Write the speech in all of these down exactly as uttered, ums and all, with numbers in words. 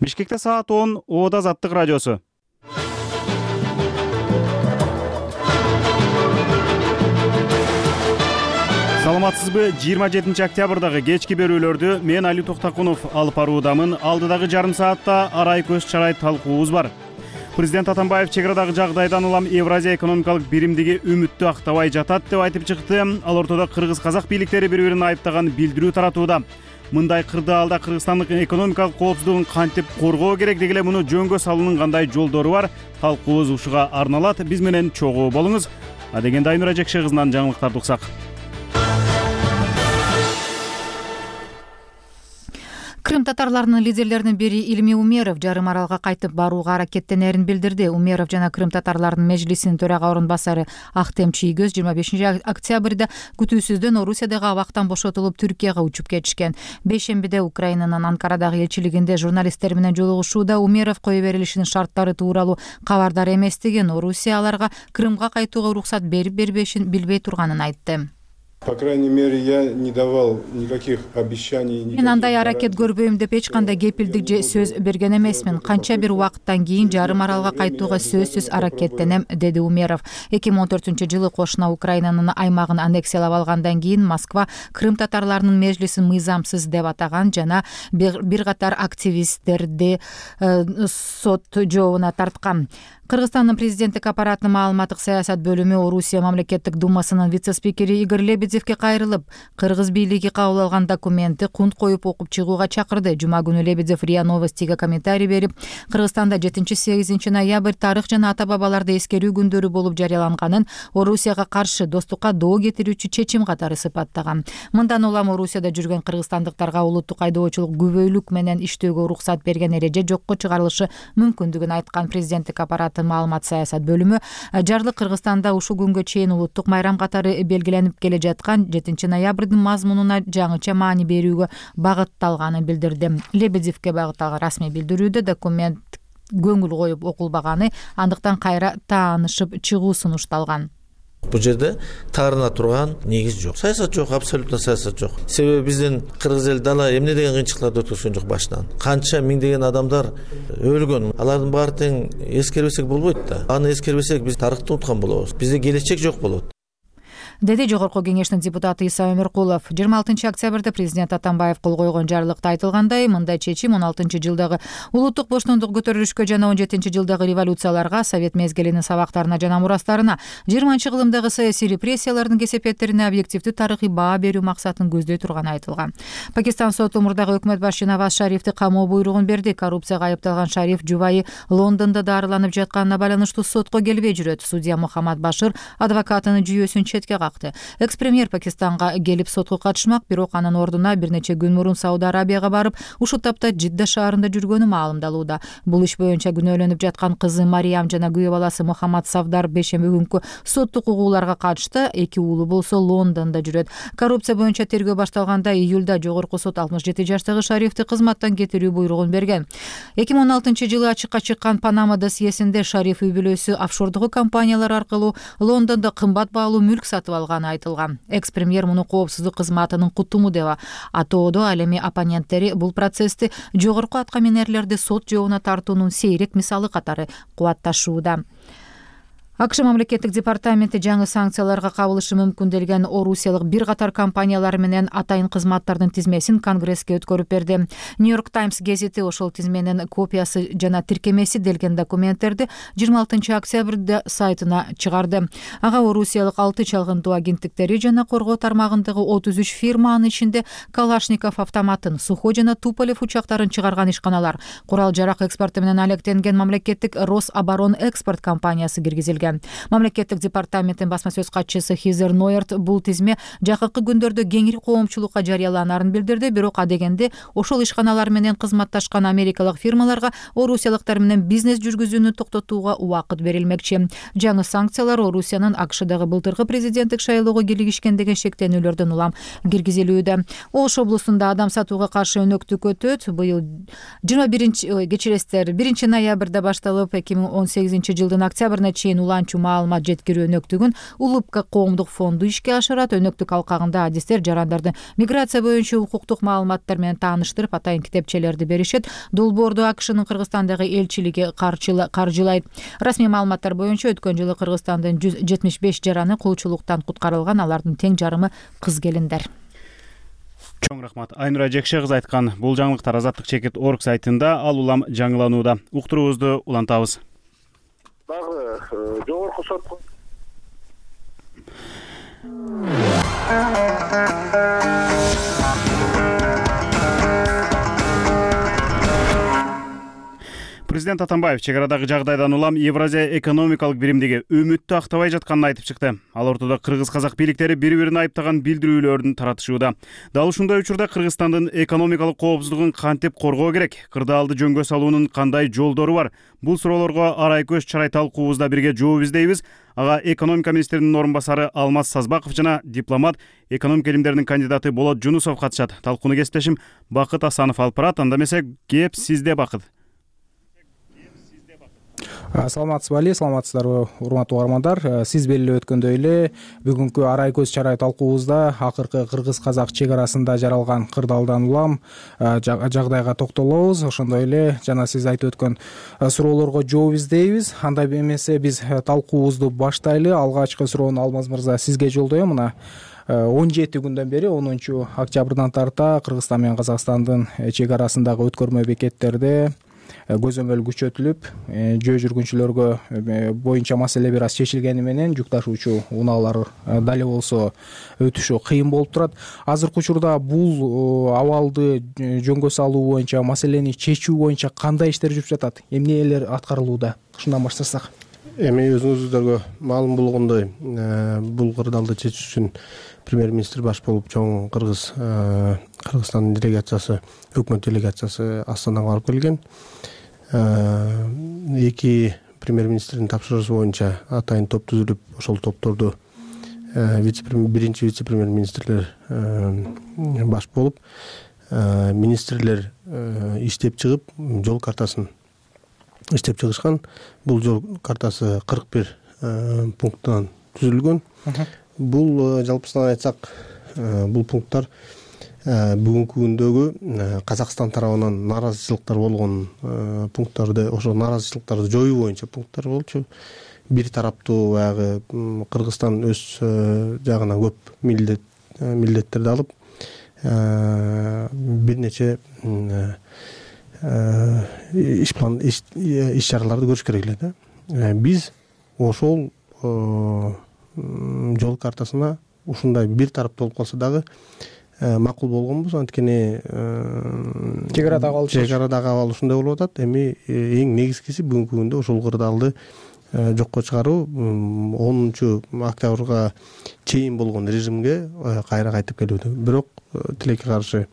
Бишкекте саат он, Ода Азаттык радиосу. Саламатсызбы? жыйырма жетинчи октябрдагы кечки берүүлөрдү мен Али Токтакунов алып баруудамын. Алдыдагы жарым саатта арай көз чарай талкуубуз бар. Президент Атамбаев чек арадагы жагдайдан улам Евразия экономикалык биримдиги үмүттү актабай жатат деп айтып чыкты. Ал ортодо кыргыз-казак бийликтери бири-бирин айыптаган билдирүү таратууда. Мындай кырдаалда Кыргызстандын экономикалык коопсуздугун кантип коргоо керек деги эле муну жөнгө салуунун кандай жолдору бар? Талкуубуз ушуга арналат. Биз менен чогуу болуңуз. Адегенде Айнура Жекше кызынан жаңылыктарды уксак. Крым татарларынын лидерлеринин бири Илми Умеров жарым аралга кайтып барууга аракеттенерин билдирди. Умеров жана Крым татарларынын межлисинин төрага орун басары Ахтем Чийгөз жыйырма бешинчи октябрда күтүүсүздөн Орусиядагы абактан бошотулуп Түркияга учуп кетишкен. Бейшембиде Украинанын Анкарадагы элчилигинде журналисттер менен жолугушууда Умеров кое берилишинин шарттары тууралуу кабардар эместигин, Орусия аларга Крымга кайтууга уруксат берип бербешин билбей турганын айтты. По крайней мере, я не давал никаких обещаний. Мен андай аракет көрбөйм деп эч кандай кепилдик же сөз берген эмесмин. Канча бир убакыттан кийин жарым аралга кайтууга сөзсүз аракеттенем, деди Умеров. эки миң он төртүнчү жылы кошуна Украинанын аймагын аннексиялап алгандан кийин Москва Крым татарларынын межлисин мыйзамсыз деп атаган жана бир катар активисттерди сот жообуна тарткан. Кыргызстандын президенттик аппаратынын маалыматтык саясат бөлүмү Орусия мамлекеттик думасынын вице-спикери Игорь Лебедевге кайрылып, кыргыз бийлиги кабыл алган документти кунт коюп окуп чыгууга чакырды. Жума күнү Лебедев РИА Новостиге комментарий берип, Кыргызстанда жетинчи сегизинчи ноябрь тарых жана ата бабаларды эскерүү күндөрү болуп жарыяланганын Орусияга каршы достукка доо кетирүүчү чечим катары сыпаттаган. Мындан улам Орусияда жүргөн кыргызстандыктарга улуттук айдоочулук күбөлүк менен иштөөгө уруксат берген эреже жокко чыгарылышы мүмкүндүгүн айткан. Президенттик аппарат маалымат саясат бөлүмү жарлык Кыргызстанда ушул күнгө чейин улуттук майрам катары белгиленип келе жаткан жетинчи ноябрдын мазмунуна жаңыча маани берүүгө багытталганын билдирди. Лебедевге багытталган расмий билдирүүдө документ көңүл коюп окулбаганы, андыктан кайра таанышып чыгуу сунушталган. Бул жерде таарына турган негиз жок. Саясат жок, абсолютно саясат жок. Себеби биздин кыргыз эл дала эмне деген кыйынчылыктарды өткөргөн жок башынан. Канча миңдеген адамдар өлгөн. Алардын баары тең эскербесек болбойт да. Аны эскербесек биз тарыхты унуткан болобуз. Бизде келечек жок болот, деди Жогорку кеңештин депутаты Иса Өмөркулов. жыйырма алтынчы октябрда президент Атамбаев кол койгон жарлыкта айтылгандай, мындай чечим он алтынчы жылдагы улуттук боштондук көтөрүлүшкө жана он жетинчи жылдагы революцияларга, совет мезгилинин сабактарына жана мурастарына, жыйырманчы кылымдагы саясий репрессиялардын кесепеттерине объективдүү тарыхый баа берүү максатын көздөй турганы айтылган. Пакистан соту мурдагы өкмөт башчы Наваз Шарифти камоо буйругун берди. Коррупцияга айыпталган Шариф жубайы Лондондо дарыланып жатканына байланыштуу сотко келбей жүрөт. Судья Мухаммад Башир адвокатынын жүйөсүн четке Экс-премьер Пакистанга келип сотко катышмак, бирок анын ордуна бир нече күн мурун Сауд Арабияга барып, ушул тапта Жидда шаарында жүргөнү маалымдалууда. Бул иш боюнча күнөөлөнүп жаткан кызы Мариям жана күйөө баласы Мухаммад Савдар бейшемби күнкү соттук угууларга катышты. Эки уулу болсо Лондондо жүрөт. Коррупция боюнча тергөө башталганда июлда жогорку сот алтымыш жети жаштагы Шарифти кызматтан кетирүү буйругун берген. эки миң он алтынчы жылы ачыкка чыккан Панама досьесинде Шариф үй бүлөсү офшордугу компаниялар аркылуу Лондондо кымбат баалуу мүлк сатып алганы айтылган. Экс-премьер муну коопсуздук кызматынын кутуму деп атоодо. Ал эми оппоненттери бул процессти жогорку атка минерлерди сот жообуна тартуунун сейрек мисалы катары кубатташууда. АКШ мамлекеттик департаменти жаңы санкцияларга кабылышы мүмкүн делген орусиялык бир катар компаниялар менен атайын кызматтардын тизмесин Конгресске өткөрүп берди. Нью-Йорк Таймс гезити ошол тизменин копиясы жана тиркемеси делген документтерди жыйырма алтынчы октябрда сайтына чыгарды. Ага орусиялык алты чалгындоо агенттиктери жана коргоо тармагындагы отуз үч фирма, анын ичинде Калашников автоматын, Сухой жана Туполев учактарын чыгарган ишканалар, курал жарак экспорту менен алектенген мамлекеттик Рособорон экспорт компаниясы киргизилген. Мамлекеттик департаменттин басма сөз катчысы Хизер Нойерт бул тизме жакынкы күндөрдө кеңири коомчулукка жарыяланарын билдирди. Бирок адегенде ошол ишканалар менен кызматташкан америкалык фирмаларга орусиялыктар менен бизнес жүргүзүүнү токтотууга убакыт берилмекчи. Жаңы санкциялар Орусиянын АКШдагы былтыркы президенттик шайлоого кийлигишкен деген шектенүүлөрдөн улам киргизилүүдө. Ош облусунда адам сатууга каршы өнөктүк өтөт. Быйыл жыйырма биринчи кечиресиздер биринчи ноябрда башталып эки миң он сегизинчи жылдын октябрына чейин улан кулданчу маалымат жеткирүү өнөктүгүн улупка коомдук фонду ишке ашырат. Өнөктүк алкагында адистер жарандарды миграция боюнча укуктук маалыматтар менен тааныштырып, атайын китепчелерди беришет. Долбоорду АКШнын Кыргызстандагы элчилиги каржылайт. Расмий маалыматтар боюнча өткөн жылы Кыргызстандын жүз жетимиш беш жараны кулчулуктан куткарылган, алардын тең жарымы кыз келиндер. Чоң рахмат. Айнура Жекше кызы айткан бул жаңылыктар Азаттык чекит точка орг сайтында ал улам жаңыланууда. Уктуруубузду улантабыз. Дагы жогорку сот Президент Атамбаев чек арадагы жагдайдан улам Евразия экономикалык биримдиги үмүттү актабай жатканын айтып чыкты. Ал ортодо кыргыз-казак бийликтери бири-бирин айыптаган билдирүүлөрдүн таратышууда. Дал ушундай учурда Кыргызстандын экономикалык коопсуздугун кантип коргоо керек? Кырдаалды жөнгө салуунун кандай жолдору бар? Бул суроолорго арай көз чарай талкуубузда бирге жооп издейбиз. Ага экономика министринин орун басары Алмаз Сазбаков жана дипломат, экономика илимдеринин кандидаты Болот Жунусов катышат. Талкууну кесиптешим Бакыт Асанов алып барат. Анда эмесе кеп сизде, Бакыт. Саламатсызбы Али, саламатсыздарбы урматтуу угармандар. Сиз белгилеп өткөндөй эле бүгүнкү арай көз чарай талкуубузда акыркы кыргыз-казак чек арасында жаралган кырдаалдан улам жагдайга токтолобуз. Ошондой эле жана сиз айтып өткөн суроолорго жооп издейбиз. Андай эмесе биз талкуубузду баштайлы. Алгачкы суроону Алмаз мырза сизге жолдоем. Мына он жети күндөн бери онунчу октябрдан тарта Кыргызстан менен Казакстандын чек арасындагы өткөрмө бекеттерде көзөмөл күчөтүлүп, жөө жүргүнчүлөргө боюнча маселе бир аз чечилгени менен жүк ташуучу унаалар дали болсо өтүшү кыйын болуп турат. Азыркы учурда бул абалды жөнгө салуу боюнча, маселени чечүү боюнча кандай иштер жүрүп жатат? Эмнелер аткарылууда? Ушундан баштасак. Эми өзүңүздөргө маалым болгондой, бул кырдаалды чечүү үчүн премьер-министр баш болуп чоң Кыргыз Кыргызстандын делегациясы, өкмөт делегациясы Астанага барып келген. Эки премьер-министрдин тапшырыгы боюнча атайын топ түзүлүп, ошол топторду биринчи вице-премьер-министрлер баш болуп, министрлер иштеп чыгып, жол картасын иштеп чыгышкан. Бул жол картасы кырк бир пункттан түзүлгөн. Бул жалпысынан айтсак, бул пункттар бүгүнкү күндөгү Казакстан тарабынан нааразычылыктар болгон пункттарды, ошо нааразычылыктарды жоюу боюнча пункттар болчу. Бир тараптуу баягы Кыргызстан өз жагына көп милдет милдеттерди алып, бир нече иш план иш чараларды көрүш керек эле да. Биз ошол жол картасына ушундай бир тараптуу болуп калса дагы макул болгонбуз. Анткени чек арадагы абал чек арадагы абал ушундай болуп атат. Эми эң негизгиси бүгүнкү күндө ошол кырдаалды жокко чыгаруу, онунчу октябрга чейин болгон режимге кайра кайтып келүүдө. Бирок тилекке каршы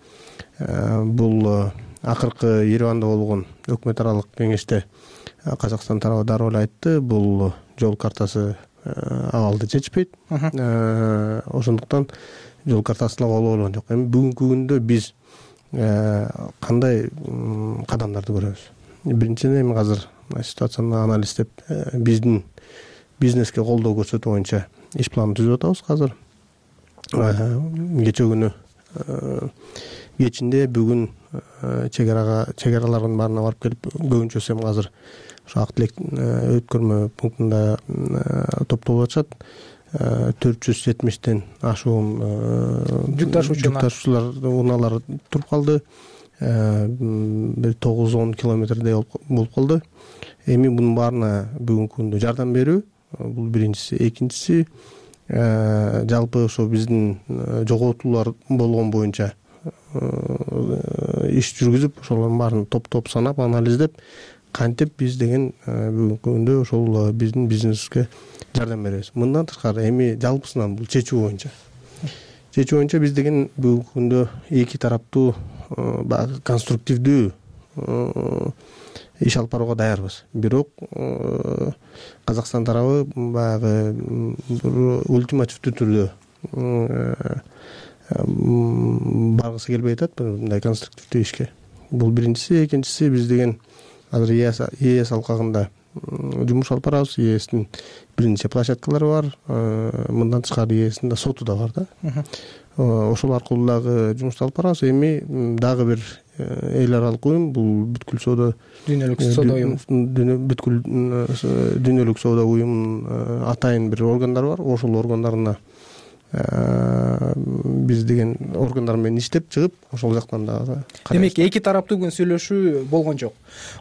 бул акыркы Ереванда болгон өкмөт аралык кеңеште Казакстан тарабы дароо эле айтты, бул жол картасы абалды чечпейт. Ошондуктан жол картасына кол болгон жок. Эми бүгүнкү күндө биз кандай кадамдарды көрөбүз? Биринчиден, эми азыр ситуацияны анализдеп, биздин бизнеске колдоо көрсөтүү боюнча иш планын түзүп атабыз азыр. Кече күнү кечинде бүгүн чек арага чек аралардын баарына барып келип, көбүнчөсү эми азыр ошо ак тилек өткөрмө пунктунда топтолуп атышат. төрт жүз жетимиштен ашуун жүк ташуучулар унаалар туруп калды. Бир тогуз он километрдей болуп калды. Эми мунун баарына бүгүнкү күндө жардам берүү, бул биринчиси. Экинчиси, жалпы ошо биздин жоготуулар болгон боюнча иш жүргүзүп, ошолордун баарын топ-топ санап, анализдеп, кантип биз деген бүгүнкү күндө ошол биздин бизнеске жардам беребиз. Мындан тышкары эми жалпысынан бул чечүү боюнча. Чечүү боюнча биз деген бүгүнкү күндө эки тараптуу баягы конструктивдүү иш алып барууга даярбыз. Бирок Казакстан тарабы баягы ультимативдүү түрдө баргысы келбей атат мындай конструктивдүү ишке. Бул биринчиси. Экинчиси, биз деген азыр ИЭС алкагында жумуш алып барабыз. ээстин бир нече площадкалары бар. Мындан тышкары ээстин да соту да бар да. Ошол аркылуу дагы жумушту алып барабыз. Эми дагы бир эл аралык уюм, бул бүткүл соода дүйнөлүк соода уюму, бүткүл дүйнөлүк соода уюмунун атайын бир органдары бар. Ошол органдарына биз деген органдар менен иштеп чыгып, ошол жактан дагы. Демек, эки тараптуу бүгүн сүйлөшүү болгон жок.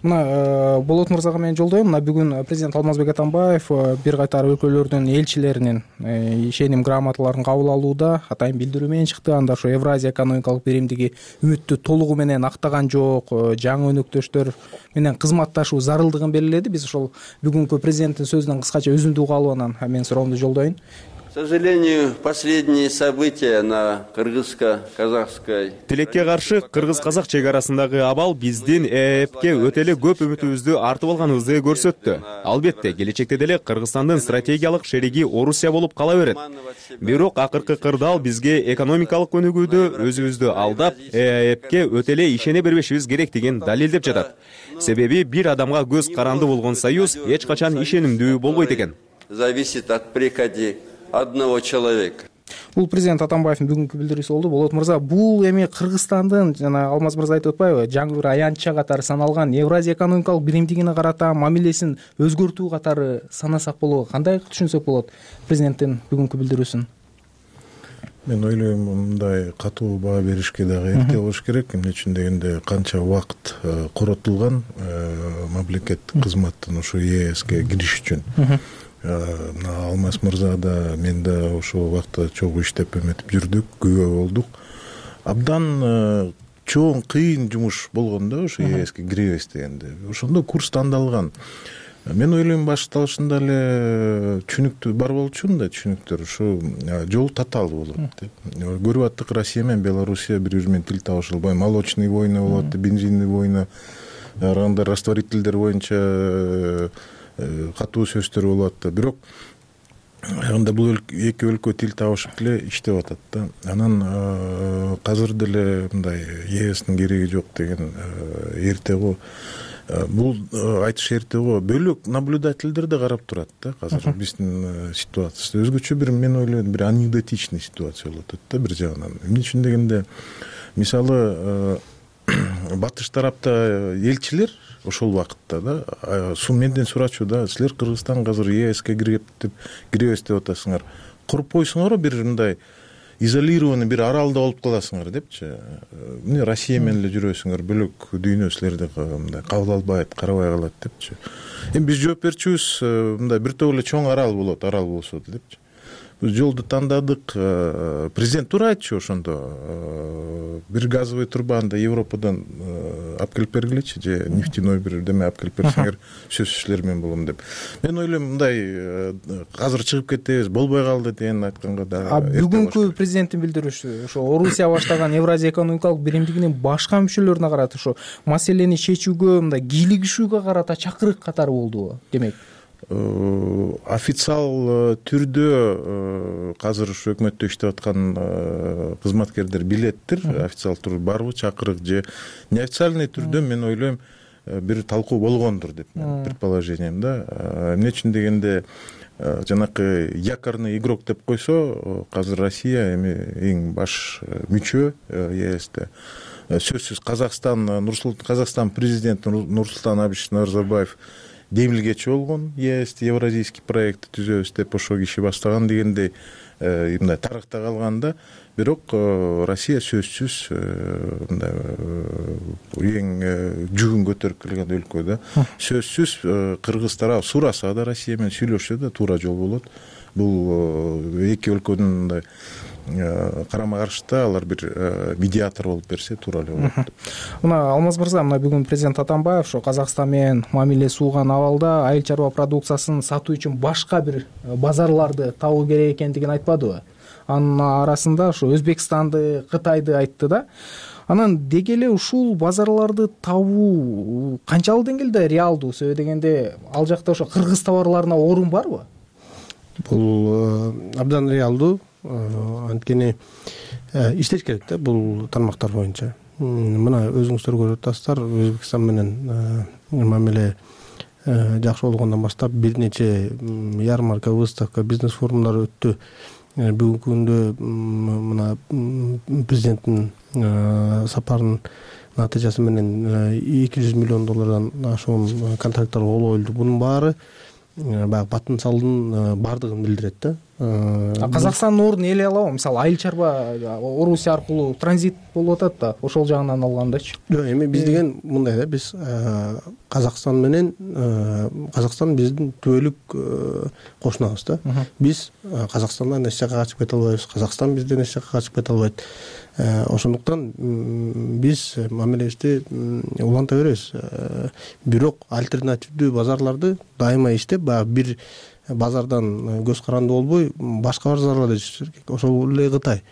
Мына Болот мырзага мен жолдойм. Мына бүгүн президент Алмазбек Атамбаев бир катар өлкөлөрдүн элчилеринин ишеним грамоталарын кабыл алууда атайын билдирүү менен чыкты. Анда ошо Евразия экономикалык биримдиги үмүттү толугу менен актаган жок, жаңы өнөктөштөр менен кызматташуу зарылдыгын белгиледи. Биз ошол бүгүнкү президенттин сөзүнөн кыскача үзүндү угуп алып анан мен суроомду жолдоюн. К сожалению, последние события на кыргызско-казакской Тилекке каршы кыргыз-казак чек арасындагы абал биздин ЭЭПке өтө эле көп үмүтүбүздү артып алганыбызды көрсөттү. Албетте, келечекте деле Кыргызстандын стратегиялык шериги Орусия болуп кала берет. Бирок акыркы кырдаал бизге экономикалык өнүгүүдө өзүбүздү алдап, ЭЭПке өтө эле ишене бербешибиз керектигин далилдеп жатат. Себеби бир адамга көз каранды болгон союз эч качан ишенимдүү болбойт экен. Зависит от приказа одного человека. Бул президент Атамбаевдин бүгүнкү билдирүүсү болду. Болот мырза, бул эми Кыргызстандын, жана Алмаз мырза айтып атпайбы, жаңы бир аянтча катары саналган Евразия экономикалык биримдигине карата мамилесин өзгөртүү катары санасак болобу? Кандай түшүнсөк болот президенттин бүгүнкү билдирүүсүн? Мен ойлойм, мындай катуу баа беришке дагы эрте болуш керек. Эмне үчүн дегенде канча убакыт коротулган мамлекет кызматтын ушу ЕСке кириш үчүн. Мына Алмаз мырза да, мен да ошол убакта чогуу иштеп эметип жүрдүк, күбө болдук. Абдан чоң, кыйын жумуш болгон да ошо ЕСке киребиз дегенде. Ошондо курс тандалган. Мен ойлойм, башталышында эле түшүнүктүү бар болчумун да, түшүнүктөр ушу жол татаал болот деп. Көрүп аттык, Россия менен Белоруссия бири бири менен тил табыша албай, молочный война болот, бензинный война, анда растворителдер боюнча катуу сөздөр болот да. Бирок анда бул эки өлкө тил табышып эле иштеп атат да. Анан казыр деле мындай ЕСтин кереги жок деген эрте го. Бул айтыш эрте го. Бөлөк наблюдательдер да карап турат да. Азыр биздин ситуация өзгөчө бир, мен ойлойм, бир анекдотичный ситуация болуп атат да бир жагынан. Эмне үчүн дегенде, мисалы батыш тарапта элчилер ошол убакытта да су менден сурачу да, силер Кыргызстанга азыр ЕСке кирип деп киребиз деп атасыңар. Куруп койсуңар бир мындай изолированный бир аралда болуп каласыңар депчи. Эмне Россия менен эле жүрөсүңөр, бөлөк дүйнө силерди мындай кабыл албайт, карабай калат депчи. Эми биз жооп берчүбүз, мындай бир топ эле чоң арал болот, арал болсо депчи. Биз жолду тандадык. Президент туура айтчу ошондо. Бир газовый турбаны Европадан алып келип бергилечи, же нефтяной бир деме алып келип берсеңер, сөзсүз силер менен болом деп. Мен ойлойм, мындай азыр чыгып кетебиз, болбой калды деген айтканга да. А бүгүнкү президенттин билдирүүсү ошо Орусия баштаган Евразия экономикалык биримдигинин башка мүчөлөрүнө карата ошо маселени чечүүгө, мындай кийлигишүүгө карата чакырык катары болдубу? Демек официал түрдө азыр ушу өкмөттө иштеп аткан кызматкерлер билеттир, официал түрдө барбы чакырык, же неофициальный түрдө мен ойлойм бир талкуу болгондур деп мен предположением да. Эмне үчүн дегенде, жанакы якорный игрок деп койсо, азыр Россия эми эң баш мүчө ЕСте. Сөзсүз Казакстан, Казакстан президенти Нурсултан Абишевич Назарбаев демилгечи болгон, ЕС евразийский проект түзөбүз деп ошо киши баштаган дегендей мындай тарыхта калганда. Бирок Россия сөзсүз мындай эң жүгүн көтөрүп келген өлкө да. Сөзсүз кыргыз тарап сураса да, Россия менен сүйлөшсө да туура жол болот. Бул эки өлкөнүн мындай карама каршыда алар бир медиатор болуп берсе туура эле болот. Мына Алмаз мырза, мына бүгүн президент Атамбаев ошо Казакстан менен мамиле сууган абалда айыл чарба продукциясын сатуу үчүн башка бир базарларды табуу керек экендигин айтпадыбы? Анын арасында ошо Өзбекстанды, Кытайды айтты да. Анан деги эле ушул базарларды табуу канчалык деңгээлде реалдуу? Себеби дегенде, ал жакта ошо кыргыз товарларына орун барбы? Бул абдан реалдуу. Анткени иштеш керек да бул тармактар боюнча. Мына өзүңүздөр көрүп атасыздар, Өзбекстан менен мамиле жакшы болгондон баштап бир нече ярмарка, выставка, бизнес форумдар өттү. Бүгүнкү күндө мына президенттин сапарынын натыйжасы менен эки жүз миллион доллардан ашуун контракттар кол коюлду. Бунун баары баягы батын салдын баардыгын билдирет да. Казакстандын ордун ээлей алабы? Мисалы, айыл чарба Орусия аркылуу транзит болуп атат да, ошол жагынан алгандачы. Жок, эми биз деген мындай да, биз Казакстан менен Казакстан биздин түбөлүк кошунабыз да. Биз Казакстандан эч жакка качып кете албайбыз, Казакстан бизден эч жакка качып кете албайт. Ошондуктан биз мамилебизди уланта беребиз. Бирок альтернативдүү базарларды дайыма иштеп, баягы бир базардан көз каранды болбой, башка базарларда иштеш керек. Ошол эле Кытай.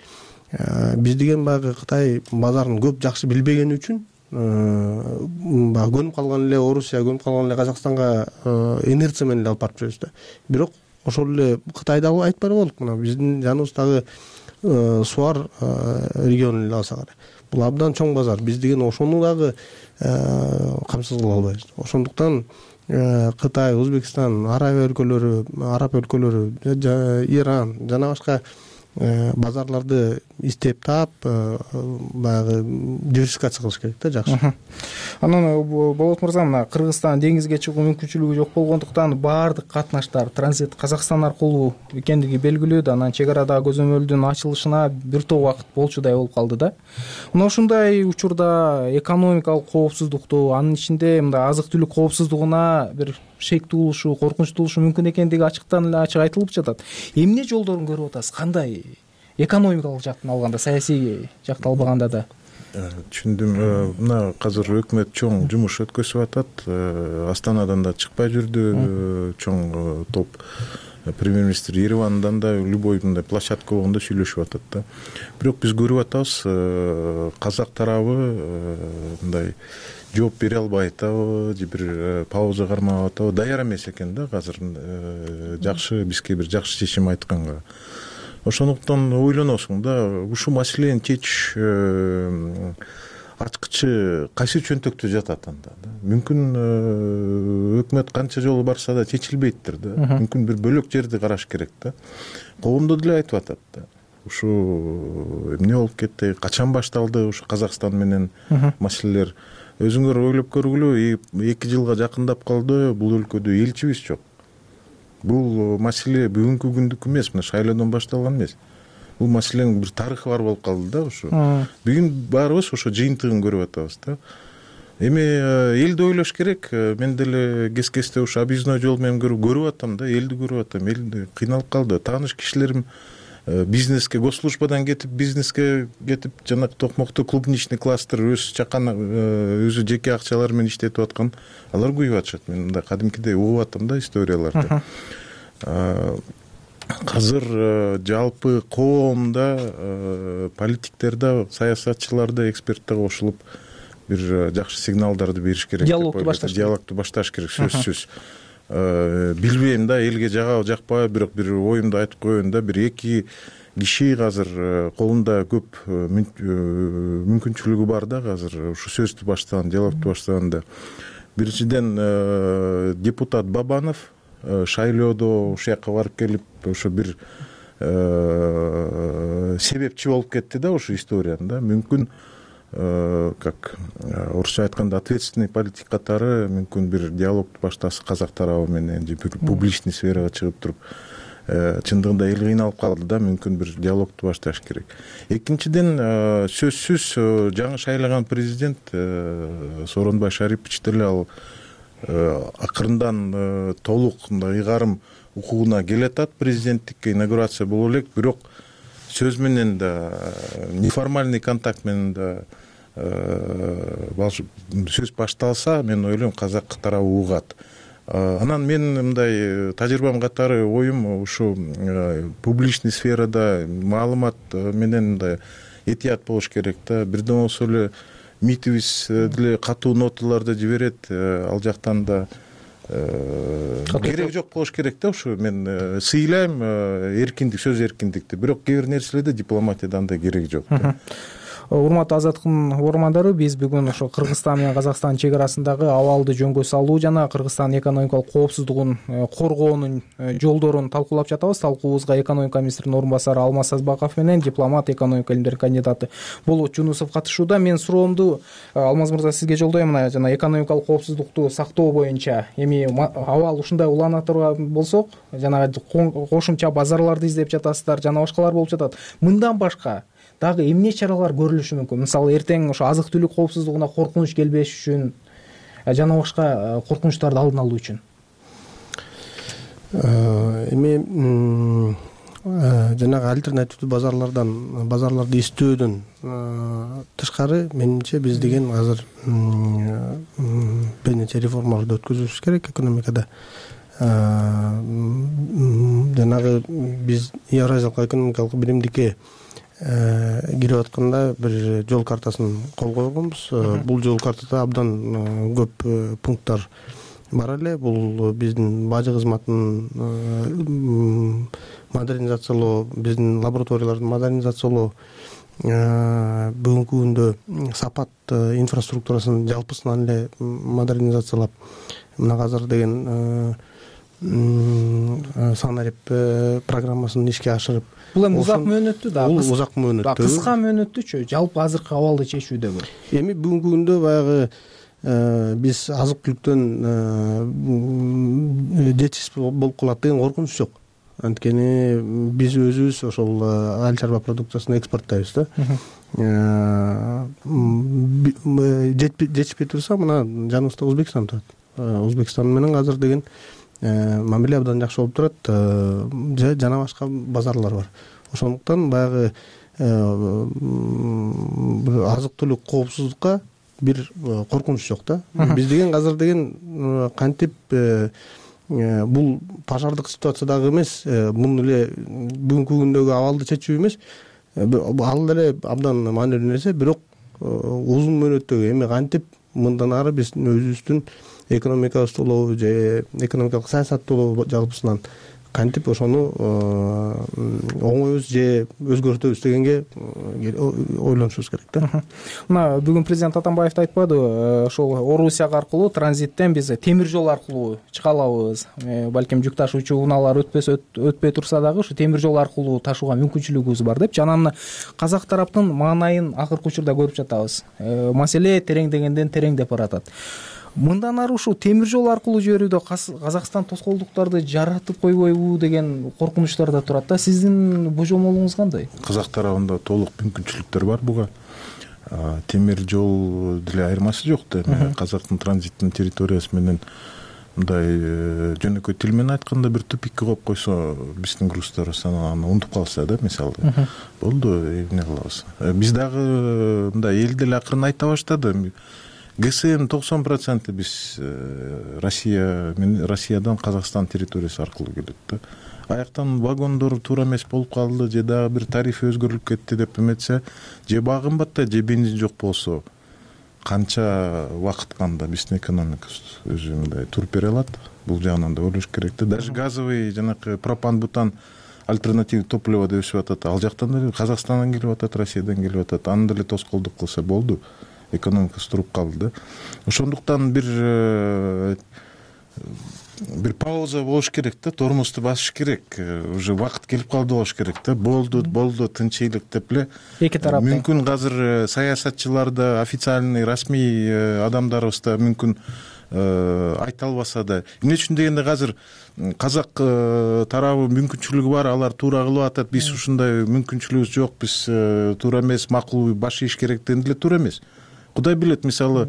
Биз деген баягы Кытай базарын көп жакшы билбегени үчүн баягы көнүп калган эле Орусия, көнүп калган эле Казакстанга инерция менен эле алып барып жүрөбүз да. Бирок ошол эле Кытайды айтпай болдук. Мына биздин жаныбыздагы Суар регионун эле алсак, бул абдан чоң базар. Биз деген ошону дагы камсыз кыла албайбыз. Ошондуктан Кытай, Өзбекстан, Арабия өлкөлөрү, Араб өлкөлөрү, Иран жана башка базарларды издеп таап, баягы диверсификация кылыш керек да, жакшы. Анан Болот мырза, мына Кыргызстан деңизге чыгуу мүмкүнчүлүгү жок болгондуктан баардык катнаштар транзит Казакстан аркылуу экендиги белгилүү да. Анан чек арадагы көзөмөлдүн ачылышына бир топ убакыт болчудай болуп калды да. Мына ушундай учурда экономикалык коопсуздукту, анын ичинде мындай азык-түлүк коопсуздугуна бир шек туулушу, коркунуч туулушу мүмкүн экендиги ачыктан эле ачык айтылып жатат. Эмне жолдорун көрүп атасыз? Кандай? Экономикалык жактан алганда, саясий жакты албаганда да. Түшүндүм. Мына азыр өкмөт чоң жумуш өткөзүп атат. Астанадан да чыкпай жүрдү чоң топ. Премьер-министр Еревандан да любой мындай площадка болгондо сүйлөшүп атат да. Бирок биз көрүп атабыз, казак тарабы мындай жооп бере албай атабы, же бир пауза кармап атабы, даяр эмес экен да азыр жакшы бизге бир жакшы чечим айтканга. Ошондуктан ойлоносуң да, ушул маселени чечиш ачкычы кайсы чөнтөктө жатат анда да. Мүмкүн өкмөт канча жолу барса да чечилбейттир да. Мүмкүн бир бөлөк жерди караш керек да. Коомдо деле айтып атат да. Ушу эмне болуп кетти, качан башталды ушу Казакстан менен маселелер. Өзүңөр ойлоп көргүлө, эки жылга жакындап калды, бул өлкөдө элчибиз жок. Бул маселе бүгүнкү күндүк эмес, мына шайлоодон башталган эмес. Бул маселенин бир тарыхы бар болуп калды да ушу. Бүгүн баарыбыз ошо жыйынтыгын көрүп атабыз да. Эми элди ойлош керек. Мен деле кес-кесте ушу объездной жол менен көрүп атам да, элди көрүп атам. Эл кыйналып калды. Тааныш кишилерим бизнеске, госслужбадан кетип, бизнеске кетип, жана токмокту клубничный кластер өз чакан өзү жеке акчалары менен иштетип аткан, алар көйүп атышат. Мен мындай кадимкидей угуп атам да историяларды. Азыр жалпы коомдо, политиктерде, саясатчыларда, экспертте кошулуп бир жакшы сигналдарды бериш керек. Диалогду башташ керек. Диалогду башташ керек, сөзсүз. Билбейм да, элге жагабы жакпайбы, бирок бир оюмду айтып коеюн да, бир эки киши азыр колунда көп мүмкүнчүлүгү бар да азыр ушу сөздү баштаган, диалогду баштаганда. Биринчиден депутат Бабанов шайлоодо ушул жакка барып келип, ошо бир себепчи болуп кетти да ушу историянын да. Мүмкүн как орусча айтканда ответственный политик катары мүмкүн бир диалогду баштаса казак тарабы менен, же бир публичный сферага чыгып туруп, чындыгында эл кыйналып калды да, мүмкүн бир диалогду башташ керек. Экинчиден, сөзсүз жаңы шайлаган президент Сооронбай Шарипович деле ал акырындан толук мындай ыйгарым укугуна келатат, президенттикке инаугурация боло элек, бирок сөз менен да, неформальный контакт менен да сөз башталса, мен ойлойм казак тарабы угат. Анан мен мындай тажрыйбам катары оюм, ушу публичный сферада маалымат менен мындай этият болуш керек да. Бирден болсо эле МИДибиз деле катуу ноталарды жиберет, ал жактан да керек жок болуш керек да. Ушу мен сыйлайм эркиндик, сөз эркиндикти, бирок кээ бир нерселерде дипломатияда андай керек жок. урматтуу Азаттыктын угармандары, биз бүгүн ошо Кыргызстан менен Казакстан чек арасындагы абалды жөнгө салуу жана Кыргызстандын экономикалык коопсуздугун коргоонун жолдорун талкуулап жатабыз. Талкуубузга экономика министринин орун басары Алмаз Сазбаков менен дипломат, экономика илимдеринин кандидаты Болот Жунусов катышууда. Мен суроомду Алмаз мырза сизге жолдойм. Мына жана экономикалык коопсуздукту сактоо боюнча эми абал ушундай улана турган болсок, жана кошумча базарларды издеп жатасыздар, жана башкалар болуп жатат. Мындан башка дагы эмне чаралар көрүлүшү мүмкүн? Мисалы, эртең ошо азык түлүк коопсуздугуна коркунуч келбеш үчүн жана башка коркунучтарды алдын алуу үчүн. Эми жанагы альтернативдүү базарлардан базарларды издөөдөн тышкары, менимче биз деген азыр бир нече реформаларды өткөзүбүз керек экономикада. Жанагы биз Евразиялык экономикалык биримдикке кирип атканда бир жол картасын кол койгонбуз. Бул жол картада абдан көп пункттар бар эле. Бул биздин бажы кызматын модернизациялоо, биздин лабораторияларды модернизациялоо, бүгүнкү күндө сапат инфраструктурасын жалпысынан эле модернизациялап, мына азыр деген санарип программасын ишке ашырып. Бул эми узак мөөнөттүү да. Бул узак мөөнөттүү. Кыска мөөнөттүүчү, жалпы азыркы абалды чечүүдөгү. Эми бүгүнкү күндө баягы биз азык түлүктөн жетишсиз болуп калат деген коркунуч жок. Анткени биз өзүбүз ошол айыл чарба продукциясын экспорттойбуз да. Жетишпей турса, мына жаныбызда Өзбекстан турат. Өзбекстан менен азыр деген мамиле абдан жакшы болуп турат, жана башка базарлар бар. Ошондуктан баягы азык түлүк коопсуздукка бир коркунуч жок да. Биз деген азыр деген кантип бул пожардык ситуациядагы эмес, муну эле бүгүнкү күндөгү абалды чечүү эмес, ал деле абдан маанилүү нерсе, бирок узун мөөнөттөгү эми кантип мындан ары биздин өзүбүздүн экономикабызды улоо же экономикалык саясатты улоо жалпысынан кантип ошону оңойбуз же өзгөртөбүз дегенге ойлонушубуз керек да. Мына бүгүн президент Атамбаев да айтпадыбы, ошол Орусия аркылуу транзиттен биз темир жол аркылуу чыга алабыз. Балким жүк ташуучу унаалар өтпөсө өтпөй турса дагы ушу темир жол аркылуу ташууга мүмкүнчүлүгүбүз бар деп. Жана мына казак тараптын маанайын акыркы учурда көрүп жатабыз. Маселе тереңдегенден тереңдеп баратат. Мындан ары ушул темир жол аркылуу жиберүүдө Казакстан тоскоолдуктарды жаратып койбойбу деген коркунучтар да турат да. Сиздин божомолуңуз кандай? Казак тарабында толук мүмкүнчүлүктөр бар буга. Темир жол деле айырмасы жок да. Казактын транзиттин территориясы менен мындай жөнөкөй тил менен айтканда бир тупикке коюп койсо, биздин груздар аны унутуп калса да, мисалы. Болду, эмне кылабыз? Биз дагы мындай эл деле акырын айта баштады. ГСМ токсон проценти биз Россия Россиядан Казакстан территориясы аркылуу келет да. Аяктан вагондор туура эмес болуп калды, же дагы бир тариф өзгөрүлүп кетти деп эметсе, же баа кымбатта, же бензин жок болсо, канча убакыт канда биздин экономикабыз өзү мындай туруп бере алат? Бул жагынан да ойлош керек да. Даже газовый жанакы пропан, бутан альтернативный топливо деп өсүп атат. Ал жактан деле Казакстандан келип атат, Россиядан келип атат. Аны деле тоскоолдук кылса болду. Экономикасы туруп калды да. Ошондуктан бир бир пауза болуш керек да, тормозду басыш керек. Уже убакыт келип калды болуш керек да. Болду, болду, тынчыйлык деп эле. Эки тараптан. Мүмкүн азыр саясатчылар да, официальный, расмий адамдарыбыз да мүмкүн айта албаса да. Эмне үчүн дегенде азыр казак тарабы мүмкүнчүлүгү бар, алар туура кылып атат. Биз ушундай мүмкүнчүлүгүбүз жок, биз туура эмес, макул баш ийиш керек дегенде эле туура эмес. Кудай билет, мисалы,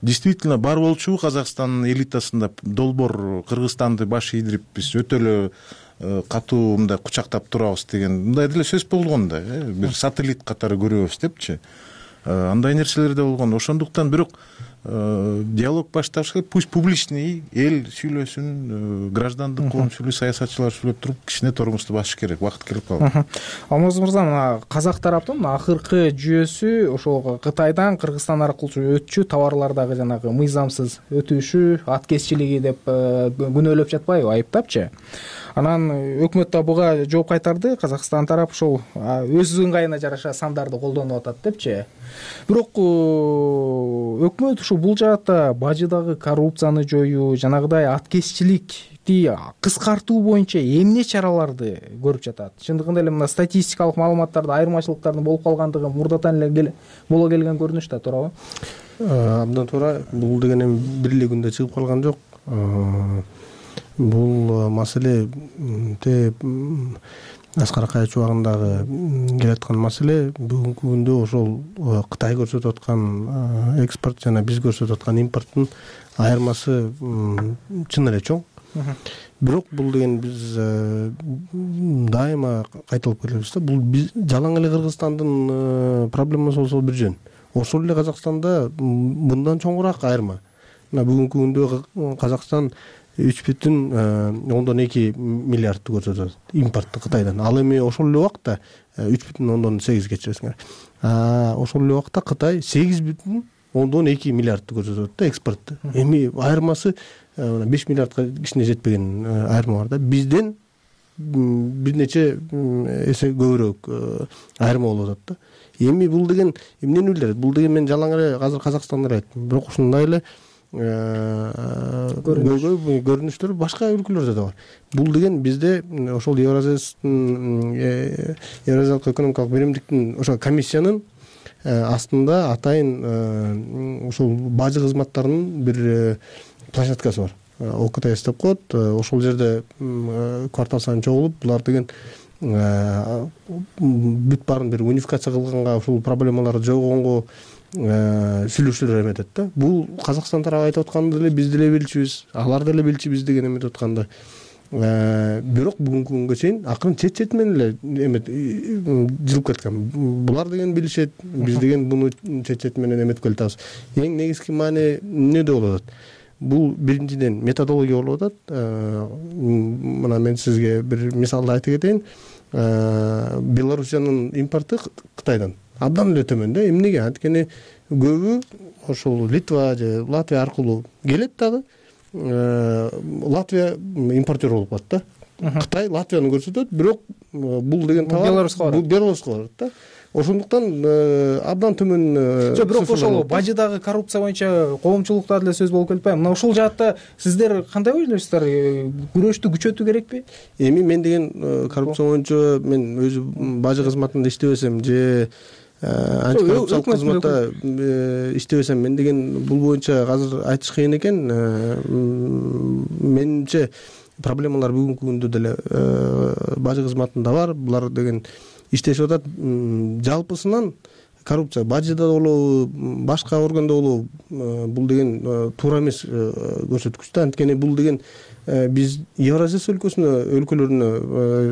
действительно бар болчу Казакстандын элитасында долбоор Кыргызстанды баш ийдирип биз өтө эле катуу мындай кучактап турабыз деген мындай деле сөз болгон да, бир сателлит катары көрөбүз депчи. Андай нерселер да болгон. Ошондуктан бирок диалог башташ керек, пусть публичный эл сүйлөсүн, граждандык коомчулук, саясатчылар сүйлөп туруп кичине тормозду басыш керек, убакыт келип калды. Алмаз мырза, мына казак тараптын акыркы жүйөсү ошол Кытайдан Кыргызстан аркылуу өтчү товарлардагы жанагы мыйзамсыз өтүшү, аткезчилиги деп күнөөлөп жатпайбы, айыптапчы. Анан өкмөт да буга жооп кайтарды. Казакстан тарап ошол өз ыңгайына жараша сандарды колдонуп атат депчи. Бирок өкмөт ушул бул жаатта бажыдагы коррупцияны жоюу, жанагыдай аткезчиликти кыскартуу боюнча эмне чараларды көрүп жатат? Чындыгында эле мына статистикалык маалыматтарда айырмачылыктардын болуп калгандыгы мурдатан эле боло келген көрүнүш да, туурабы? Абдан туура. Бул деген эми бир эле күндө чыгып калган жок. Бул маселе те Аскар Акаевич убагындагы келаткан маселе бүгүнкү күндө ошол Кытай көрсөтүп аткан экспорт жана биз көрсөтүп аткан импорттун айырмасы чын эле чоң. Бирок бул деген биз дайыма кайталып келебиз да. Бул биз жалаң эле Кыргызстандын проблемасы болсо бир жөн. Ошол эле Казакстанда мындан чоңураак айырма. Мына бүгүнкү күндө Казакстан үч бүтүн ондон эки миллиардты көрсөтөт импортту Кытайдан. Ал эми ошол эле убакта үч бүтүн ондон сегиз кечиресиңер. Ошол эле убакта Кытай сегиз бүтүн ондон эки миллиардты көрсөтөт да экспортту. Эми айырмасы беш миллиардка кичине жетпеген айырма бар да. Бизден бир нече эсе көбүрөөк айырма болуп атат да. Эми бул деген эмнени билдирет? Бул деген мен жалаң эле азыр Казакстанда айттым. Бирок ушундай эле көрүнүштөр башка өлкөлөрдө да бар. Бул деген бизде ошол Евразиялык экономикалык биримдиктин ошол комиссиянын астында атайын ошол бажы кызматтарынын бир площадкасы бар. ОКТС деп коет. Ошол жерде квартал сайын чогулуп, булар деген бүт баарын бир унификация кылганга, ушул проблемаларды жойгонго сүйлөшүүлөр эметет да. Бул Казакстан тарабы айтып атканды эле биз деле билчүбүз, алар деле билчүбүз деген эметип атканды. Бирок бүгүнкү күнгө чейин акырын чет-чет менен эле эмет жылып кеткен. Булар деген билишет, биз деген буну чет-чет менен эметип келатабыз. Эң негизги маани эмнеде болуп атат? Бул биринчиден методология болуп атат. Мына мен сизге бир мисалды айтып кетейин. Белоруссиянын импорту Кытайдан абдан эле төмөн да. Эмнеге? Анткени көбү ошол Литва же Латвия аркылуу келет дагы. Латвия импортер болуп калат да. Кытай Латвияны көрсөтөт, бирок бул деген товар Белоруска барат. Бул Белоруска барат да. Ошондуктан абдан төмөн. Жок, бирок ошол бажыдагы коррупция боюнча коомчулукта деле сөз болуп келбейби? Мына ушул жаатта сиздер кандай ойлойсуздар? Күрөштү күчөтүү керекпи? Эми мен деген коррупция боюнча мен өзү бажы кызматында иштебесем же антикоррупциялык кызматта иштебесем, мен деген бул боюнча азыр айтыш кыйын экен. Менимче проблемалар бүгүнкү күндө деле бажы кызматында бар. Булар деген иштешип атат. Жалпысынан коррупция бажыда болобу, башка органда болобу, бул деген туура эмес көрсөткүч да. Анткени бул деген биз Евразия өлкөсүнө, өлкөлөрүнө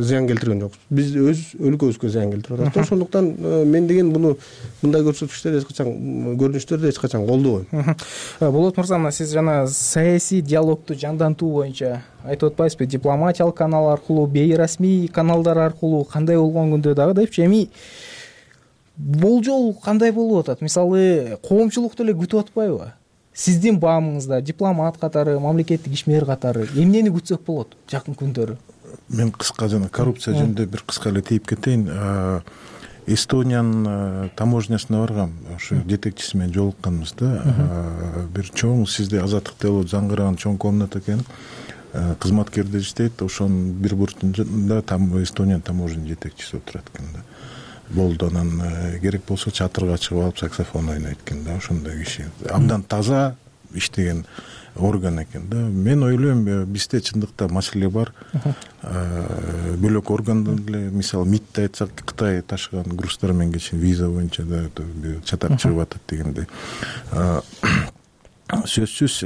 зыян келтирген жокпуз. Биз өз өлкөбүзгө зыян келтирип атат. Ошондуктан мен деген буну мындай көрсөткүчтөрдү эч качан, көрүнүштөрдү эч качан колдобойм. Болот мырза, мына сиз жана саясий диалогту жандантуу боюнча айтып атпайсызбы? Дипломатиялык канал аркылуу, бейрасмий каналдар аркылуу кандай болгон күндө дагы депчи. Эми болжол кандай болуп атат? Мисалы, коомчулук деле күтүп атпайбы? Сиздин баамыңызда дипломат катары, мамлекеттик ишмер катары эмнени күтсөк болот жакын күндөрү? Мен кыска жана коррупция жөнүндө бир кыска эле тийип кетейин. Эстониянын таможнясына баргам, ошо жетекчиси менен жолукканбыз да. Бир чоң, сизде Азаттыкта болот заңгыраган чоң комната экен. Кызматкерлер иштейт, ошонун бир бурчунда Эстониянын таможня жетекчиси отурат экен да. Болду, анан керек болсо чатырга чыгып алып саксофон ойнойт экен да. Ошондой киши абдан таза иштеген орган экен да. Мен ойлойм, бизде чындыкта маселе бар. Бөлөк органдан эле, мисалы МИДти айтсак, Кытай ташыган груздар менен кечин виза боюнча да чатак чыгып атат дегендей. Сөзсүз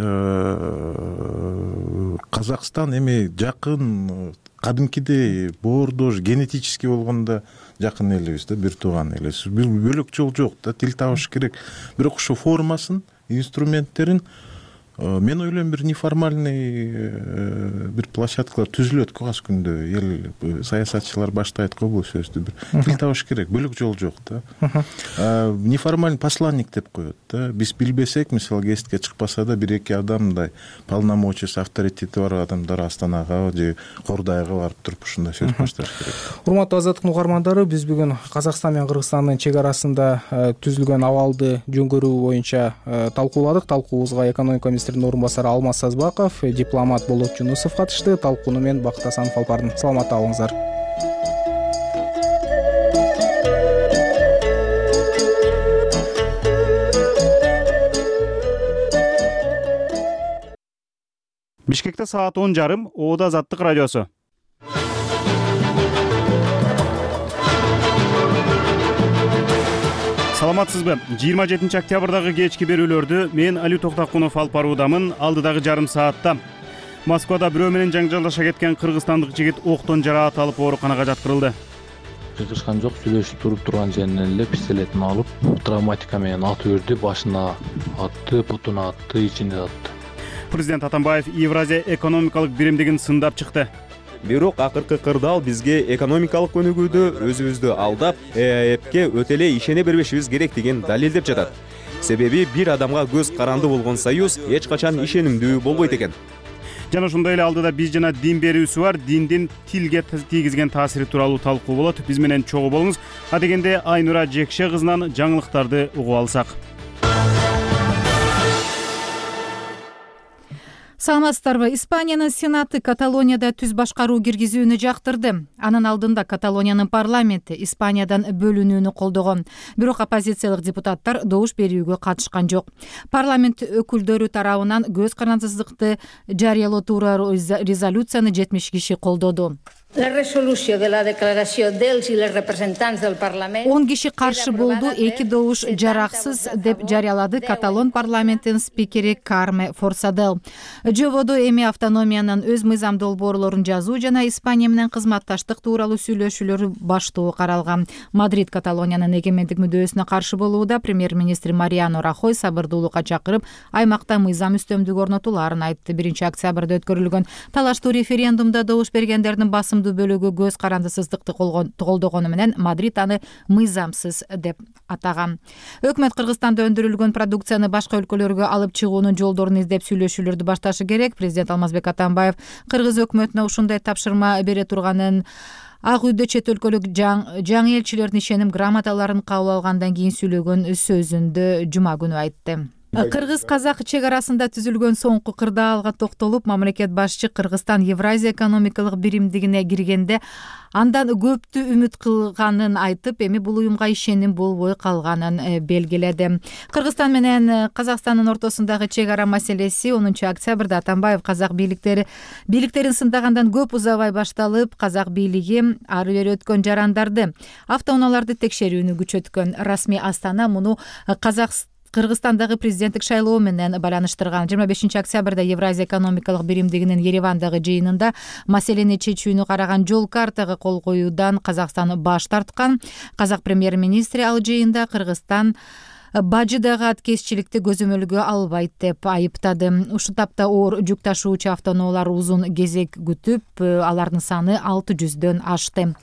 Казакстан эми жакын кадимкидей боордош генетически болгондо жакын элебиз да, бир тууган элебиз. Бөлөк жол жок да, тил табыш керек. Бирок ошо формасын, инструменттерин Мен ойлойм, бир неформальный бир площадкалар түзүлөт го аз күндө. Эл саясатчылар баштайт го бул сөздү, бир тил табыш керек, бөлөк жол жок да. Неформальный посланник деп коет да. Биз билбесек, мисалы гезитке чыкпаса да бир эки адам мындай полномочиясы, авторитети бар адамдар Астанага же Кордайга барып туруп ушундай сөз башташ керек. Урматтуу Азаттыктын угармандары, биз бүгүн Казакстан менен Кыргызстандын чек арасында түзүлгөн абалды жөн көрүү боюнча талкууладык. Талкуубузга экономика министринин орун басары Алмаз Сазбаков, дипломат Болот Жунусов катышты. Талкууну мен Бакыт Асанов алып бардым. Саламатта болуңуздар. Бишкекте саат он жарым, Оода Азаттык радиосу. Саламатсызбы? жыйырма жетинчи октябрдагы кечки берүүлөрдү мен Али Токтакунов алып баруудамын. Алдыдагы жарым саатта Москвада бирөө менен жаңжалдаша кеткен кыргызстандык жигит октон жараат алып ооруканага жаткырылды. Чыгышкан жок, сүйлөшүп туруп турган жеринен эле пистолетин алып, травматика менен атып үрдү, башына атты, бутуна атты, ичине атты. Президент Атамбаев Евразия экономикалык биримдигин сындап чыкты. Бирок акыркы кырдаал бизге экономикалык өнүгүүдө өзүбүздү алдап, ЭАЭПке өтө эле ишене бербешибиз керектигин далилдеп жатат. Себеби бир адамга көз каранды болгон союз эч качан ишенимдүү болбойт экен. Жана ошондой эле алдыда биз жана дин берүүсү бар, диндин тилге тийгизген таасири тууралуу талкуу болот. Биз менен чогуу болуңуз. А дегенде Айнура Жекше кызынан жаңылыктарды угуп алсак. Саламатсыздарбы? Испаниянын Сенаты Каталонияда түз башкаруу киргизүүнү жактырды. Анын алдында Каталониянын парламенти Испаниядан бөлүнүүнү колдогон. Бирок оппозициялык депутаттар добуш берүүгө катышкан жок. Парламент өкүлдөрү тарабынан көз карандысыздыкты жарыялоо тууралуу резолюцияны жетимиш киши колдоду. он киши каршы болду, эки добуш жараксыз деп жарыялады Каталон парламентинин спикери Карме Форсадел. Жободо эми автономиянын өз мыйзам долбоорлорун жазуу жана Испания менен кызматташтык тууралуу сүйлөшүүлөр баштоо каралган. Мадрид Каталониянын эгемендик мүдөөсүнө каршы болууда. Премьер-министр Мариано Рахой сабырдуулукка чакырып, аймакта мыйзам үстөмдүк орнотулаарын айтты. биринчи октябрда өткөрүлгөн талаштуу референдумда добуш бергендердин басымдуу бөлүгү көз карандысыздыкты колдогону менен Мадрид аны мыйзамсыз деп атаган. Өкмөт Кыргызстанда өндүрүлгөн продукцияны башка өлкөлөргө алып чыгуунун жолдорун издеп сүйлөшүүлөрдү башташы керек. Президент Алмазбек Атамбаев Кыргыз өкмөтүнө ушундай тапшырма бере турганын, Ак үйдө чет өлкөлүк жаңы элчилердин ишеним грамоталарын кабыл алгандан кийин сүйлөгөн сөзүндө жума күнү айтты. Кыргыз-казак чек арасында түзүлгөн соңку кырдаалга токтолуп, мамлекет башчы Кыргызстан Евразия экономикалык биримдигине киргенде андан көптү үмүт кылганын айтып, эми бул уюмга ишеним болбой калганын белгиледи. Кыргызстан менен Казакстандын ортосундагы чек ара маселеси онунчу октябрда Атамбаев казак бийликтери бийликтерин сындагандан көп узабай башталып, казак бийлиги ары бери өткөн жарандарды, автоунааларды текшерүүнү күчөткөн. Расмий Астана муну казак Кыргызстандагы президенттик шайлоо менен байланыштырган. жыйырма бешинчи октябрда Евразия экономикалык биримдигинин Еревандагы жыйынында маселени чечүүнү караган жол картага кол коюудан Казакстан баш тарткан. Казак премьер-министри ал жыйында Кыргызстан бажыдагы аткезчиликти көзөмөлгө албайт деп айыптады. Ушул тапта оор жүк ташуучу автоунаалар узун кезек күтүп, алардын саны алты жүздөн ашты.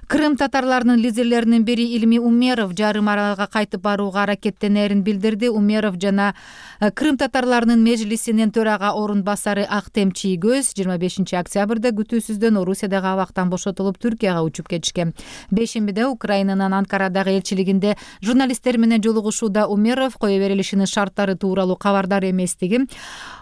Крым татарларынын лидерлеринин бири Илми Умеров жарым аралга кайтып барууга аракеттенерин билдирди. Умеров жана Крым татарларынын межлисинин төрага орун басары Актем Чийгөз жыйырма бешинчи октябрда күтүүсүздөн Орусиядагы абактан бошотулуп Түркияга учуп кетишкен. Бешембиде Украинанын Анкарадагы элчилигинде журналисттер менен жолугушууда Умеров кое берилишинин шарттары тууралуу кабардар эместиги,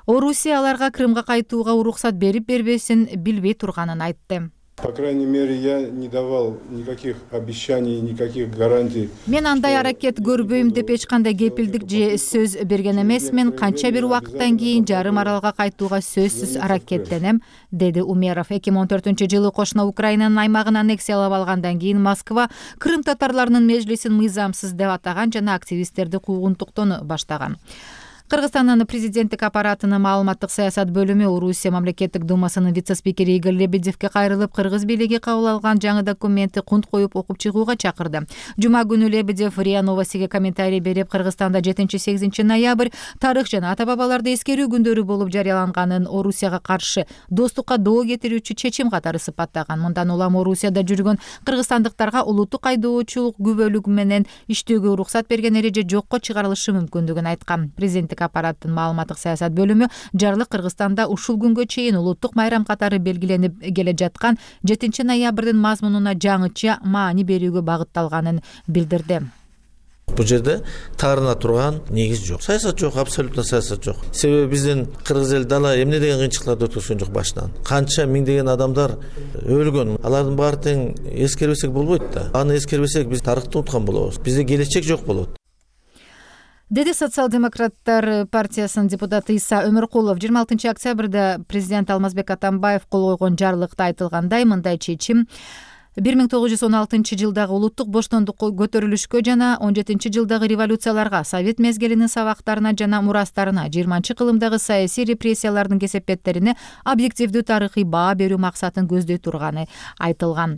Орусия аларга Крымга кайтууга уруксат берип бербесин билбей турганын айтты. По крайней мере, я не давал никаких обещаний, никаких гарантий. Мен андай аракет көрбөйм деп эч кандай кепилдик же сөз берген эмесмин. Канча бир убакыттан кийин жарым аралга кайтууга сөзсүз аракеттенем, деди Умеров. эки миң он төртүнчү жылы кошуна Украинанын аймагын аннексиялап алгандан кийин Москва Крым татарларынын межлисин мыйзамсыз деп атаган жана активисттерди куугунтуктоону баштаган. Кыргызстандын президенттик аппаратынын маалыматтык саясат бөлүмү Орусия мамлекеттик думасынын вице-спикери Игорь Лебедевге кайрылып, кыргыз бийлиги кабыл алган жаңы документти кунт коюп окуп чыгууга чакырды. Жума күнү Лебедев РИА Новостиге комментарий берип, Кыргызстанда жетинчи-сегизинчи ноябрь тарых жана ата бабаларды эскерүү күндөрү болуп жарыяланганын Орусияга каршы достукка доо кетирүүчү чечим катары сыпаттаган. Мындан улам Орусияда жүргөн кыргызстандыктарга улуттук айдоочулук күбөлүгү менен иштөөгө уруксат берген эреже жокко чыгарылышы мүмкүндүгүн айткан. Президенттик аппараттын маалыматтык саясат бөлүмү жарлык Кыргызстанда ушул күнгө чейин улуттук майрам катары белгиленип келе жаткан жетинчи ноябрдын мазмунуна жаңыча маани берүүгө багытталганын билдирди. Бул жерде таарына турган негиз жок. Саясат жок, абсолютно саясат жок. Себеби биздин кыргыз эл дала эмне деген кыйынчылыктарды өткөргөн жок башынан. Канча миңдеген адамдар өлгөн. Алардын баары тең эскербесек болбойт да. Аны эскербесек биз тарыхты унуткан болобуз. Бизде келечек жок болот. Деди социал-демократтар партиясынын депутаты Иса Өмөркулов жыйырма алтынчы октябрда президент Алмазбек Атамбаев кол койгон жарлыкта айтылгандай, мындай чечим бир миң тогуз жүз он алтынчы жылдагы улуттук боштондукко көтөрүлүшкө жана он жетинчи жылдагы революцияларга, совет мезгилинин сабактарына жана мурастарына, жыйырманчы кылымдагы саясий репрессиялардын кесепеттерине объективдүү тарыхый баа берүү максатын көздөй турганы айтылган.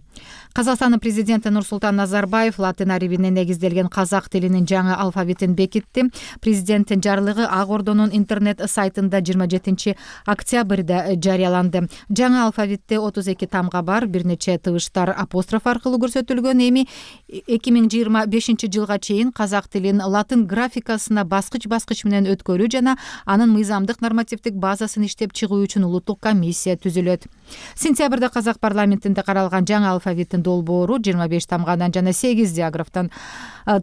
Казакстандын президенти Нурсултан Назарбаев латын арибине негизделген казак тилинин жаңы алфавитин бекитти. Президенттин жарлыгы Ак Ордонун интернет сайтында жыйырма жетинчи октябрда жарыяланды. Жаңы алфавитте отуз эки тамга бар, бир нече тыбыштар апостроф аркылуу көрсөтүлгөн. Эми эки миң жыйырма бешинчи жылга чейин казак тилин латын графикасына баскыч-баскыч менен өткөрүү жана анын мыйзамдык нормативдик базасын иштеп чыгуу үчүн улуттук комиссия түзүлөт. Сентябрда казак парламентинде каралган жаңы алфавиттин долбоору жыйырма беш тамгадан жана сегиз диаграфтан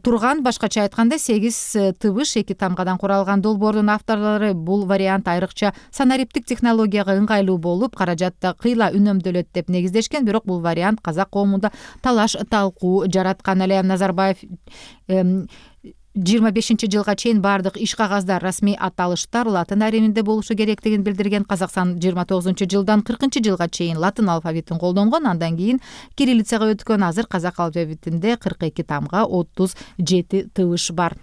турган. Башкача айтканда, сегиз тыбыш эки тамгадан куралган долбоордун авторлору бул вариант айрыкча санариптик технологияга ыңгайлуу болуп, каражатта кыйла үнөмдөлөт деп негиздешкен. Бирок бул вариант казак коомунда талаш талкуу жараткан эле. Назарбаев жыйырма бешинчи жылга чейин бардык иш кагаздар, расмий аталыштар латын арибинде болушу керектигин билдирген. Казакстан жыйырма тогузунчу жылдан кыркынчы жылга чейин латын алфавитин колдонгон. Андан кийин кириллицага өткөн. Азыр казак алфавитинде кырк эки тамга, отуз жети тыбыш бар.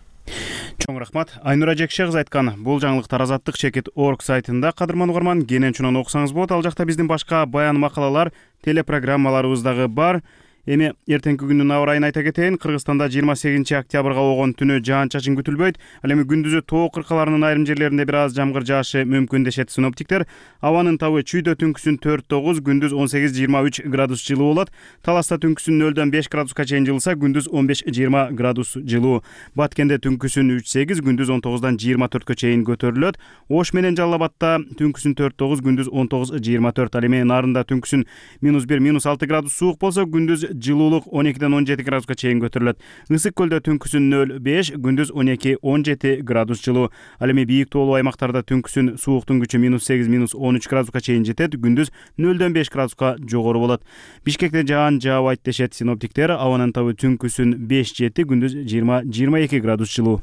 Чоң рахмат. Айнура Жекшегиз айткан бул жаңылыктар азаттык чекит точка орг сайтында кадырман угарман кенен чунан окусаңыз болот. Ал жакта биздин башка баян макалалар, телепрограммаларыбыз дагы бар. Эми эртеңки күндүн аба ырайын айта кетейин. Кыргызстанда жыйырма сегизинчи октябрга болгон түнү жаан-чачын күтүлбөйт. Ал эми күндүзү тоо кыркаларынын айрым жерлеринде бир аз жамгыр жаашы мүмкүн дешет синоптиктер. Абанын табы чүйдө түнкүсүн төрт тогуз, күндүз он сегиз жыйырма үч градус жылуу болот. Таласта түнкүсүн нөлдөн беш градуска чейин жылыса, күндүз он беш жыйырма градус жылуу. Баткенде түнкүсүн үч сегиз, күндүз он тогуздан жыйырма төрткө чейин көтөрүлөт. Ош менен Жалал Абадта түнкүсүн төрт тогуз, күндүз он тогуз жыйырма төрт. Ал эми Нарында түнкүсүн минус бир, минус алты градус суук болсо, күндүз жылуулук он экиден он жети градуска чейин көтөрүлөт. Ысык көлдө түнкүсүн нөл беш, күндүз он эки он жети градус жылуу. Ал эми бийик тоолуу аймактарда түнкүсүн сууктун күчү минус сегиз, минус он үч градуска чейин жетет, күндүз нөлдөн беш градуска жогору болот. Бишкекте жаан жаабайт дешет синоптиктер. Абанын табы түнкүсүн беш жети, күндүз жыйырма жыйырма эки градус жылуу.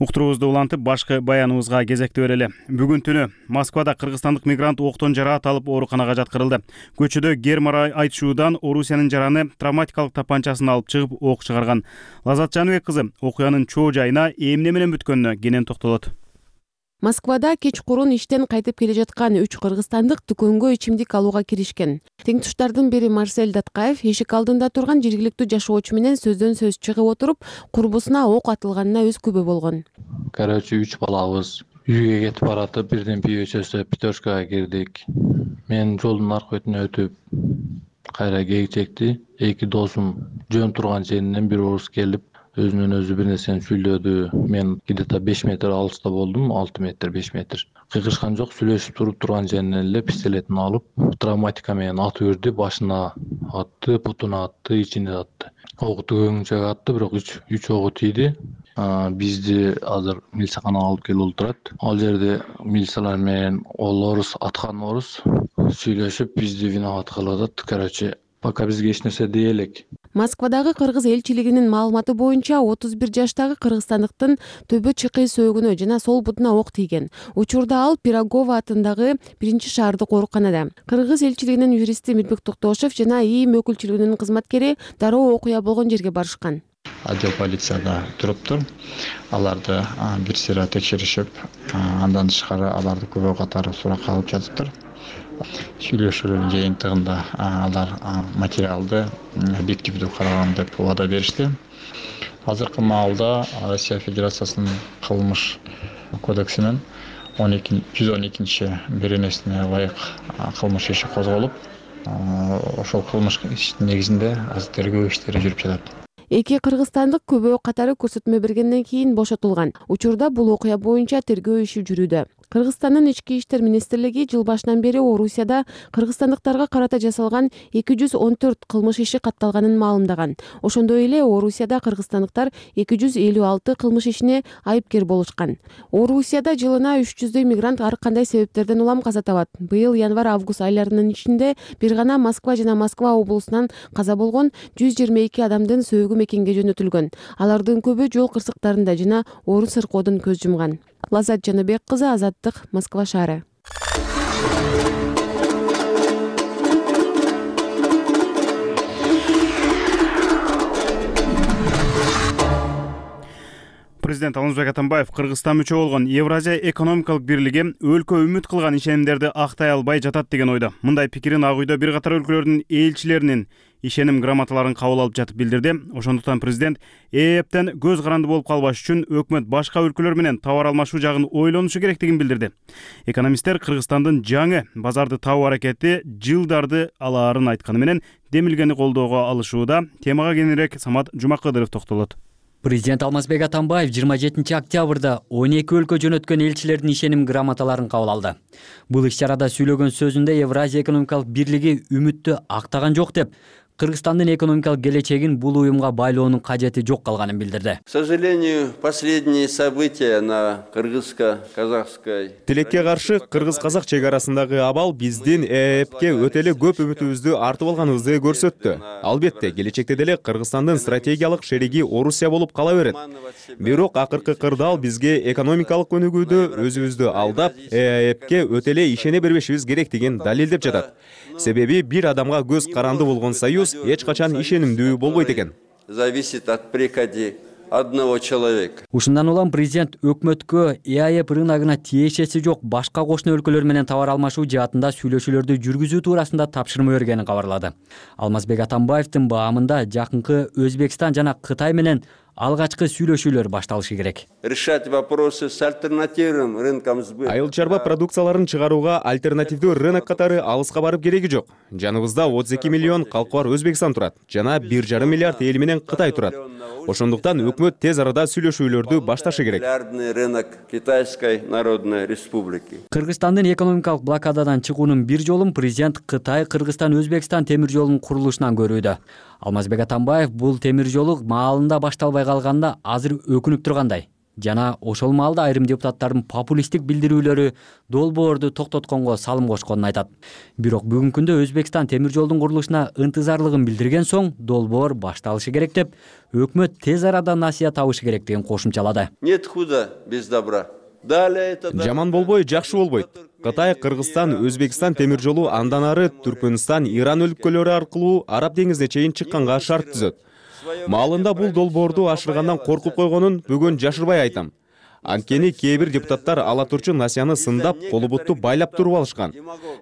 Уктуруубузду улантып, башкы баяныбызга кезекти берели. Бүгүн түнү Москвада кыргызстандык мигрант октон жараат алып ооруканага жаткырылды. Көчөдө гермара айтышуудан Орусиянын жараны травматикалык тапанчасын алып чыгып ок чыгарган. Лазат Жаныбек кызы окуянын чоо жайына эмне менен бүткөнүнө кенен токтолот. Москвада кечкурун иштен кайтып келе жаткан үч кыргызстандык дүкөнгө ичимдик алууга киришкен. Теңтуштардын бири Марсель Даткаев эшик алдында турган жергиликтүү жашоочу менен сөздөн сөз чыгып отуруп, курбусуна ок атылганына өз күбө болгон. Короче, үч балабыз үйгө кетип баратып, бирден пиво чөйсөп, пятеркага кирдик. Мен жолдун аркы бетине өтүп, кайра кээк чекти. Эки досум жөн турган жеринен бир орус келип, өзүнөн өзү бир нерсени сүйлөдү. Мен где-то беш метр алыста болдум, алты метр, беш метр. Кыйкырышкан жок, сүйлөшүп туруп турган жеринен эле пистолетин алып, травматика менен атып үрдү, башына атты, бутуна атты, ичине атты. Огу төгөнгөнчө атты, бирок үч үч огу тийди. Бизди азыр милицияга алып келип отурат. Ал жерде милициялар менен ол орус, аткан орус сүйлөшүп, бизди виноват кылып атат. Короче, пока бизге эч нерсе дей элек. Москвадагы кыргыз элчилигинин маалыматы боюнча отуз бир жаштагы кыргызстандыктын төбө чыкый сөөгүнө жана сол бутуна ок тийген. Учурда ал Пирогово атындагы биринчи шаардык ооруканада. Кыргыз элчилигинин юристи Мирбек Токтошев жана ИИМ өкүлчүлүгүнүн кызматкери дароо окуя болгон жерге барышкан. Отдел полицияда туруптур. Аларды бир сыйра текшеришип, андан тышкары аларды көбөй катары суракка алып жатыптыр. Сүйлөшүүлөрдүн жыйынтыгында алар материалды объективдүү караган деп убада беришти. Азыркы маалда Россия Федерациясынын кылмыш кодексинин жүз он экинчи беренесине ылайык кылмыш иши козголуп, ошол кылмыш иштин негизинде азыр тергөө иштери жүрүп жатат. Эки кыргызстандык көбөө катары көрсөтмө бергенден кийин бошотулган. Учурда бул окуя боюнча тергөө иши жүрүүдө. Кыргызстандын ички иштер министрлиги жыл башынан бери Орусияда кыргызстандыктарга карата жасалган эки жүз он төрт кылмыш иши катталганын маалымдаган. Ошондой эле Орусияда кыргызстандыктар эки жүз элүү алты кылмыш ишине айыпкер болушкан. Орусияда жылына үч жүздөй мигрант ар кандай себептерден улам каза табат. Быйыл январь-август айларынын ичинде бир гана Москва жана Москва облусунан каза болгон жүз жыйырма эки адамдын сөөгү мекенге жөнөтүлгөн. Алардын көбү жол кырсыктарында жана орун сыркоодон көз жумган. Лазат Жаныбек кызы, Азаттык, Москва шаары. Президент Алмазбек Атамбаев Кыргызстан мүчө болгон Евразия экономикалык бирлиги өлкө үмүт кылган ишенимдерди актай албай жатат деген ойдо. Мындай пикирин Ак үйдө бир катар өлкөлөрдүн элчилеринин ишеним грамоталарын кабыл алып жатып билдирди. Ошондуктан президент ЭЭПтен көз каранды болуп калбаш үчүн өкмөт башка өлкөлөр менен товар алмашуу жагын ойлонушу керектигин билдирди. Экономисттер Кыргызстандын жаңы базарды табуу аракети жылдарды алаарын айтканы менен демилгени колдоого алышууда. Темага кененирээк Самат Жумакыдыров токтолот. Президент Алмазбек Атамбаев жыйырма жетинчи октябрда он эки өлкө жөнөткөн элчилердин ишеним грамоталарын кабыл алды. Бул иш-чарада сүйлөгөн сөзүндө Евразия экономикалык бирлиги үмүттү актаган жок деп, Кыргызстандын экономикалык келечегин бул уюмга байлоонун кажети жок калганын билдирди. К сожалению, последние события на кыргызско-казакской Тилекке каршы кыргыз-казак чек арасындагы абал биздин ЭЭПке өтө эле көп үмүтүбүздү артып алганыбызды көрсөттү. Албетте, келечекте деле Кыргызстандын стратегиялык шериги Орусия болуп кала берет. Бирок акыркы кырдаал бизге экономикалык өнүгүүдө өзүбүздү алдап, ЭЭПке өтө эле ишене бербешибиз керектигин далилдеп жатат. Себеби бир адамга көз каранды болгон союз эч качан ишенимдүү болбойт экен. Зависит от приказа одного человека. Ушундан улам президент өкмөткө ЭАЭП рыногуна тиешеси жок башка кошуна өлкөлөр менен товар алмашуу жаатында сүйлөшүүлөрдү жүргүзүү туурасында тапшырма бергенин кабарлады. Алмазбек Атамбаевдин баамында жакынкы Өзбекстан жана Кытай менен алгачкы сүйлөшүүлөр башталышы керек. Решать вопросы с альтернативным рынком сбыта. Айыл чарба продукцияларын чыгарууга альтернативдүү рынок катары алыска барып кереги жок. Жаныбызда отуз эки миллион калкы бар Өзбекстан турат, жана бир жарым миллиард эл менен Кытай турат. Ошондуктан өкмөт тез арада сүйлөшүүлөрдү башташы керек. Рынок Китайской Народной Республики. Кыргызстандын экономикалык блокададан чыгуунун бир жолун президент Кытай, Кыргызстан, Өзбекстан темир жолунун курулушунан көрүүдө. Алмазбек Атамбаев бул темир жолу маалында башталбай калганда азыр өкүнүп тургандай. Жана ошол маалда айрым депутаттардын популисттик билдирүүлөрү долбоорду токтотконго салым кошконун айтат. Бирок бүгүнкү күндө Өзбекстан темир жолдун курулушуна ынтызарлыгын билдирген соң долбоор башталышы керек деп, өкмөт тез арада насыя табышы керектигин кошумчалады. Нет худа без добра. Жаман болбой, жакшы болбойт. Кытай, Кыргызстан, Өзбекстан темир жолу андан ары Түркмөнстан, Иран өлкөлөрү аркылуу Араб деңизине чейин чыкканга шарт түзөт. Маалында бул долбоорду ашыргандан коркуп койгонун бүгүн жашырбай айтам. Анткени кээ бир депутаттар ала турчу насияны сындап, колу бутту байлап туруп алышкан.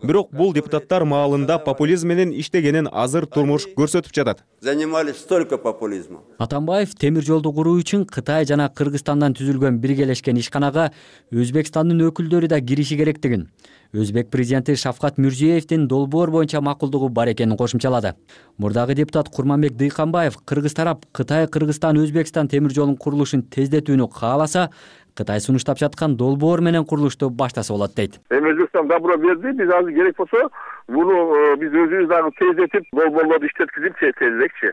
Бирок бул депутаттар маалында популизм менен иштегенин азыр турмуш көрсөтүп жатат. Занимались только популизмом. Атамбаев темир жолду куруу үчүн Кытай жана Кыргызстандан түзүлгөн биргелешкен ишканага Өзбекстандын өкүлдөрү да кириши керектигин, Өзбек президенти Шавкат Мирзиеевдин долбоор боюнча макулдугу бар экенин кошумчалады. Мурдагы депутат Курманбек Дыйканбаев Кыргыз тарап Кытай, Кыргызстан, Өзбекстан темир жолунун курулушун тездетүүнү кааласа, Кытай сунуштап жаткан долбоор менен курулушту баштаса болот дейт. Өзбекстан добро берди, биз азыр керек болсо, муну биз өзүбүз дагы тездетип, долбоорлорду иштеткизип тезирээкчи.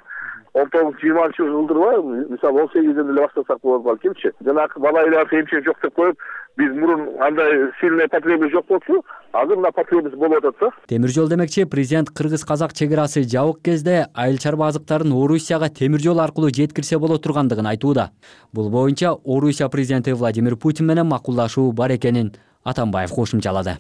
он тогузунчу жыйырманчы жылдырбы, мисалы он сегизден эле баштасак болот балкимчи. Жанагы бала айланып эмчек жок деп коюп, биз мурун андай сильный потребность жок болчу, азыр мына потребность болуп атат да. Темир жол демекчи, президент кыргыз-казак чек-арасы жабык кезде айыл чарба азыктарын Орусияга темир жол аркылуу жеткирсе боло тургандыгын айтууда. Бул боюнча Орусия президенти Владимир Путин менен макулдашуу бар экенин Атамбаев кошумчалады.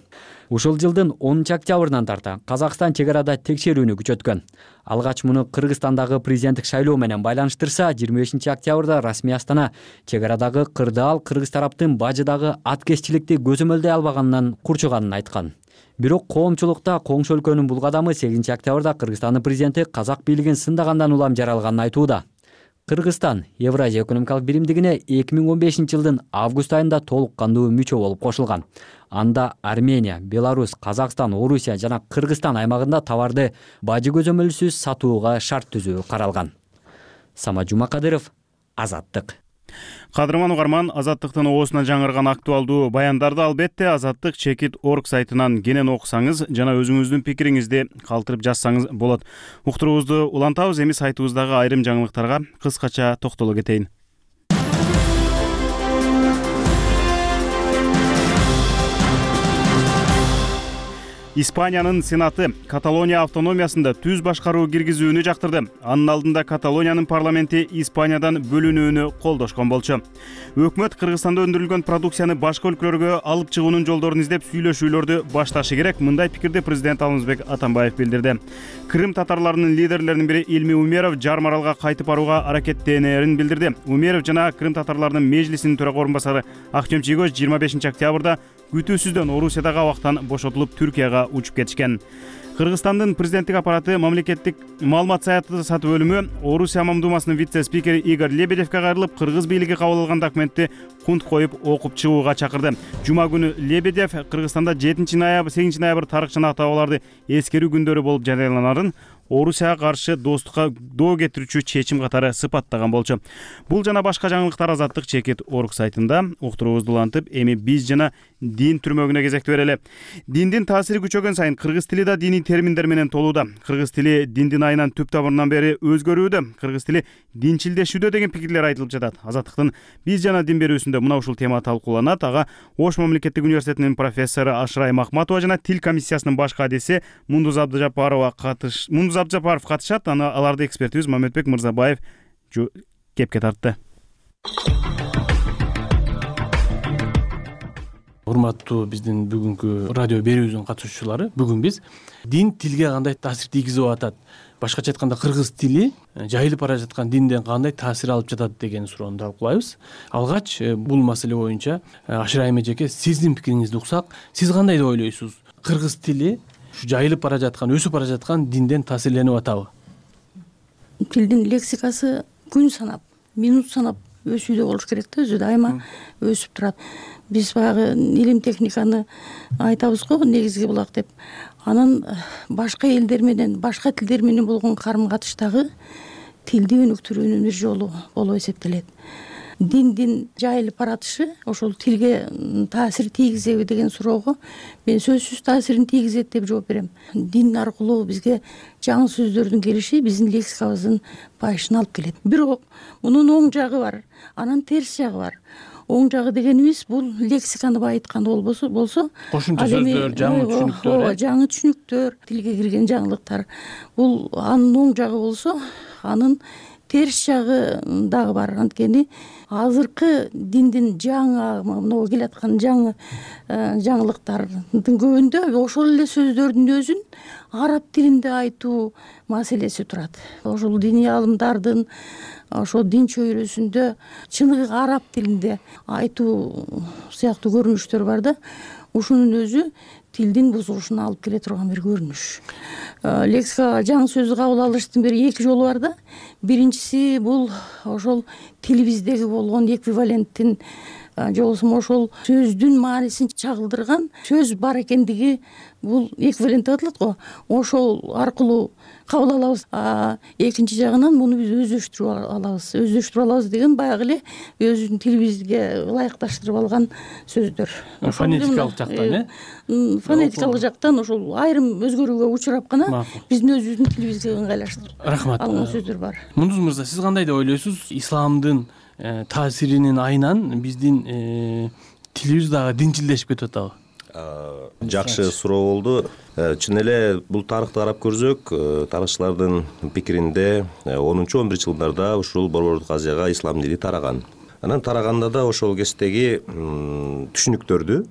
Ушул жылдын онунчу октябрынан тарта Казакстан чек-арада текшерүүнү күчөткөн. Алгач муну Кыргызстандагы президенттик шайлоо менен байланыштырса, жыйырма бешинчи октябрда расмий Астана чек-арадагы кырдаал кыргыз тараптын бажыдагы аткезчиликти көзөмөлдөй албаганынан курчуганын айткан. Бирок коомчулукта коңшу өлкөнүн бул кадамы сегизинчи октябрда Кыргызстандын президенти казак бийлигин сындагандан улам жаралганын айтууда. Кыргызстан Евразия экономикалык биримдигине эки миң он бешинчи жылдын август айында толук кандуу мүчө болуп кошулган. Анда Армения, Беларусь, Казакстан, Орусия жана Кыргызстан аймагында товарды бажы көзөмөлсүз сатууга шарт түзүү каралган. Самат Жумакадыров, Азаттык. Кадырман угарман, Азаттыктын оосуна жаңырган актуалдуу баяндарды албетте Азаттык чекит точка орг сайтынан кенен окусаңыз жана өзүңүздүн пикириңизди калтырып жазсаңыз болот. Уктуруубузду улантабыз, эми сайтыбыздагы айрым жаңылыктарга кыскача токтоло кетейин. Испаниянын Сенаты Каталония автономиясында түз башкаруу киргизүүнү жактырды. Анын алдында Каталониянын парламенти Испаниядан бөлүнүүнү колдошкон болчу. Өкмөт Кыргызстанда өндүрүлгөн продукцияны башка өлкөлөргө алып чыгуунун жолдорун издеп сүйлөшүүлөрдү башташы керек. Мындай пикирди президент Алмазбек Атамбаев билдирди. Крым татарларынын лидерлеринин бири Илми Умеров Жарым Аралга кайтып барууга аракеттенерин билдирди. Умеров жана Крым татарларынын межлисинин төрага орун басары Актем Чийгоз жыйырма бешинчи октябрда күтүүсүздөн Орусиядагы абактан бошотулуп Түркияга учуп кетишкен. Кыргызстандын президенттик аппараты мамлекеттик маалымат саясаты бөлүмү Орусия Мамдумасынын вице-спикери Игорь Лебедевке кайрылып, кыргыз бийлиги кабыл алган документти кунт коюп окуп чыгууга чакырды. Жума күнү Лебедев Кыргызстанда жетинчи ноябрь, сегизинчи ноябрь тарыхча атааларды эскерүү күндөрү болуп жарыяланарын Орусияга каршы достукка доо кетирүүчү чечим катары сыпаттаган болчу. Бул жана башка жаңылыктар Азаттык чекит точка орг сайтында. Уктуруубузду улантып, эми биз жана дин түрмөгүнө кезекти берели. Диндин таасири күчөгөн сайын кыргыз тили да диний терминдер менен толууда. Кыргыз тили диндин айынан түп табырынан бери өзгөрүүдө. Кыргыз тили динчилдешүүдө деген пикирлер айтылып жатат. Азаттыктын биз жана дин берүүсүндө мына ушул тема талкууланат. Ага Ош мамлекеттик университетинин профессору Ашырай Махматова жана тил комиссиясынын баш кадиси Мундуз Абдыжапарова катыш Мундуз Абдыжапаров катышат. Аны аларды экспертибиз Мамедбек Мырзабаев кепке тартты. Урматтуу биздин бүгүнкү радио берүүбүздүн катышуучулары, бүгүн биз дин тилге кандай таасир тийгизип атат, башкача айтканда кыргыз тили жайылып бара жаткан динден кандай таасир алып жатат деген суроону талкуулайбыз. Алгач бул маселе боюнча Ашырай эжеке, сиздин пикириңизди уксак, сиз кандай деп ойлойсуз? Кыргыз тили ушу жайылып бара жаткан, өсүп бара жаткан динден таасирленип атабы? Тилдин лексикасы күн санап, минут санап өсүүдө болуш керек да, өзү дайыма өсүп турат. Биз баягы илим техниканы айтабыз го, негизги булак деп. Анан башка элдер менен, башка тилдер менен болгон карым-катыштагы тилди өнүктүрүүнүн бир жолу болуп эсептелет. Диндин жайылып баратышы ошол тилге таасир тийгизеби деген суроого мен сөзсүз таасирин тийгизет деп жооп берем. Дин аркылуу бизге жаңы сөздөрдүн келиши биздин лексикабыздын байышына алып келет. Бирок мунун оң жагы бар, анан терс жагы бар. Оң жагы дегенибиз бул лексиканы байыткан болбосо болсо кошумча сөздөр, жаңы түшүнүктөр, жаңы түшүнүктөр, тилге кирген жаңылыктар. Бул анын оң жагы болсо, анын терс жагы дагы бар. Анткени азыркы диндин жаңы могу келаткан жаңы жаңылыктардын көбүндө ошол эле сөздөрдүн өзүн араб тилинде айтуу маселеси турат. Ошол диний аалымдардын ошо дин чөйрөсүндө чыныгы араб тилинде айтуу сыяктуу көрүнүштөр бар да. Ушунун өзү тилдин бузулушуна алып келе турган бир көрүнүш. Лексикага жаңы сөздү кабыл алыштын бир эки жолу бар да. Биринчиси бул ошол тилибиздеги болгон эквиваленттин же болбосо ошол сөздүн маанисин чагылдырган сөз бар экендиги бул эквивалент деп аталат го, ошол аркылуу кабыл алабыз. А экинчи жагынан муну биз өздөштүрүп алабыз. Өздөштүрүп алабыз деген баягы эле өзүбүздүн тилибизге ылайыкташтырып алган сөздөр. Фонетикалык жактан э фонетикалык жактан ошол айрым өзгөрүүгө учурап гана биздин өзүбүздүн тилибизге ыңгайлаштырып рахмат алган сөздөр бар. Мундуз мырза, сиз кандай деп ойлойсуз? Исламдын таасиринин айынан биздин тилибиз дагы динчилдешип кетип атабы? Жакшы суроо болду. Чын эле бул тарыхты карап көрсөк, тарыхчылардын пикиринде онунчу он биринчи жылдарда ушул Борбордук Азияга ислам дини тараган. Анан тараганда да ошол кездеги түшүнүктөрдү,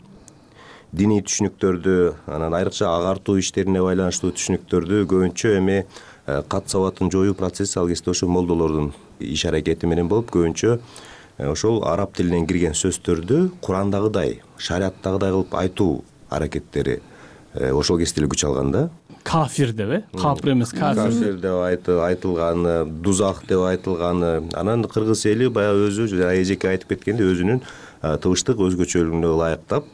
диний түшүнүктөрдү, анан айрыкча агартуу иштерине байланыштуу түшүнүктөрдү көбүнчө эми кат сабатын жоюу процесси ал кезде ошо молдолордун иш аракети менен болуп, көбүнчө ошол араб тилинен кирген сөздөрдү Курандагыдай, шариаттагыдай кылып айтуу аракеттери ошол кезде эле күч алган да. Кафир деп э? Капыр эмес, кафир. Кафир деп айтылганы, дузах деп айтылганы. Анан кыргыз эли баягы өзү эжеке айтып кеткендей өзүнүн тыбыштык өзгөчөлүгүнө ылайыктап,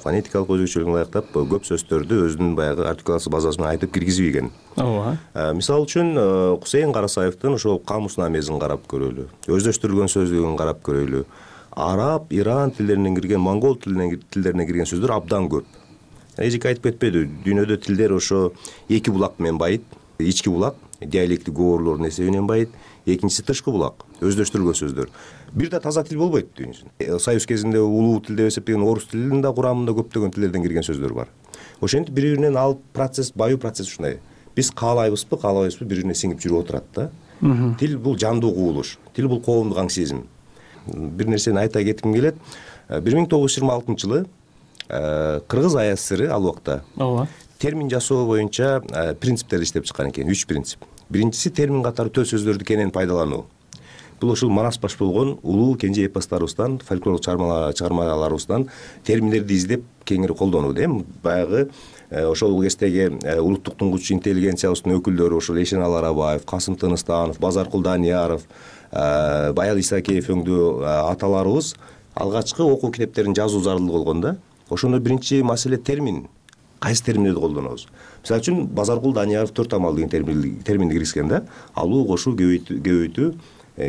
фонетикалык өзгөчөлүгүнө ылайыктап көп сөздөрдү өзүнүн баягы артикуляция базасы менен айтып киргизип ийген. Ооба. Мисалы үчүн Кусейин Карасаевдин ошол камуснамесин карап көрөлү, өздөштүрүлгөн сөздүгүн карап көрөлү. Араб, иран тилдеринен кирген, монгол тилдеринен кирген сөздөр абдан көп. Эжеке айтып кетпеди, дүйнөдө тилдер ошо эки булак менен байыт. Ички булак диалектик говорлордун эсебинен байыт, экинчиси тышкы булак, өздөштүрүлгөн сөздөр. Бир да таза тил болбойт дүйнөсүндө. Союз кезинде улуу тил деп эсептеген орус тилинин да курамында көптөгөн тилдерден кирген сөздөр бар. Ошентип бири-биринен алып процесс, баюу процесс ушундай. Биз каалайбызбы, каалабайбызбы, бири-бирине сиңип жүрүп отурат да. Тил бул жандуу кубулуш, тил бул коомдук аңсизм. Бир нерсени айта кетким келет. бир миң тогуз жүз жыйырма алтынчы жылы Кыргыз АСР ал убакта термин жасоо боюнча принциптерди иштеп чыккан экен, үч принцип. Биринчиси термин катары төл сөздөрдү кенен пайдалануу. Бул ушул манас баш болгон улуу кенже эпостарыбыздан, фольклорлук чыгармаларыбыздан терминдерди издеп кеңири колдонуу дейм. Баягы ошол кездеги улуттук тунгучу интеллигенциябыздын өкүлдөрү ошол Эшеналы Арабаев, Касым Тыныстанов, Базаркул Данияров, Баял Исакеев өңдүү аталарыбыз алгачкы окуу китептерин жазуу зарыл болгон да. Ошондо биринчи маселе термин. Кайсы терминдерди колдонобуз? Мисалы үчүн Базаркул Данияров төрт амал деген терминди киргизген да. Алуу, кошуу, көбөйтүү,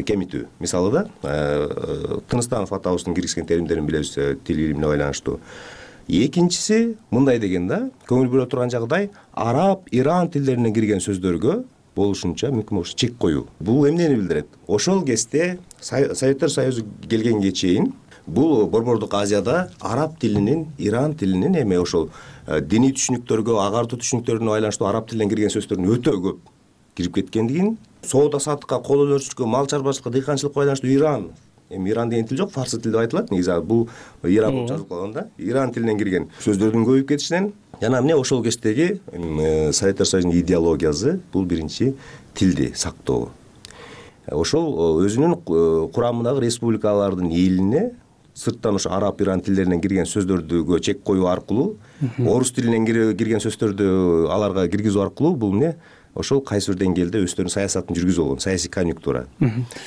кемитүү. Мисалы да, Тыныстанов атабыздын киргизген терминдерин билебиз тил илимине байланыштуу. Экинчиси мындай деген да, көңүл бөлө турган жагдай араб, иран тилдеринен кирген сөздөргө болушунча мүмкүн болуш чек коюу. Бул эмнени билдирет? Ошол кезде Советтер Союзу келгенге чейин бул Борбордук Азияда араб тилинин, иран тилинин эми ошол диний түшүнүктөргө, агартуу түшүнүктөрүнө байланыштуу араб тилинен кирген сөздөрдүн өтө көп кирип кеткендигин, соода саттыкка, кол өнөрчүлүккө, мал чарбачылыкка, дыйканчылыкка байланыштуу иран, эми иран деген тил жок, фарсы тил деп айтылат. Негизи бул иран болуп жазылып калган да. Иран тилинен кирген сөздөрдүн көбөйүп кетишинен жана эмне ошол кездеги Советтер Союзунун идеологиясы бул биринчи тилди сактоо. Ошол өзүнүн курамындагы республикалардын элине сырттан ошо араб, иран тилдеринен кирген сөздөрдүгө чек коюу аркылуу, орус тилинен кирген сөздөрдү аларга киргизүү аркылуу бул эмне ошол кайсы бир деңгээлде өздөрүнүн саясатын жүргүзүп болгон, саясий конъюнктура.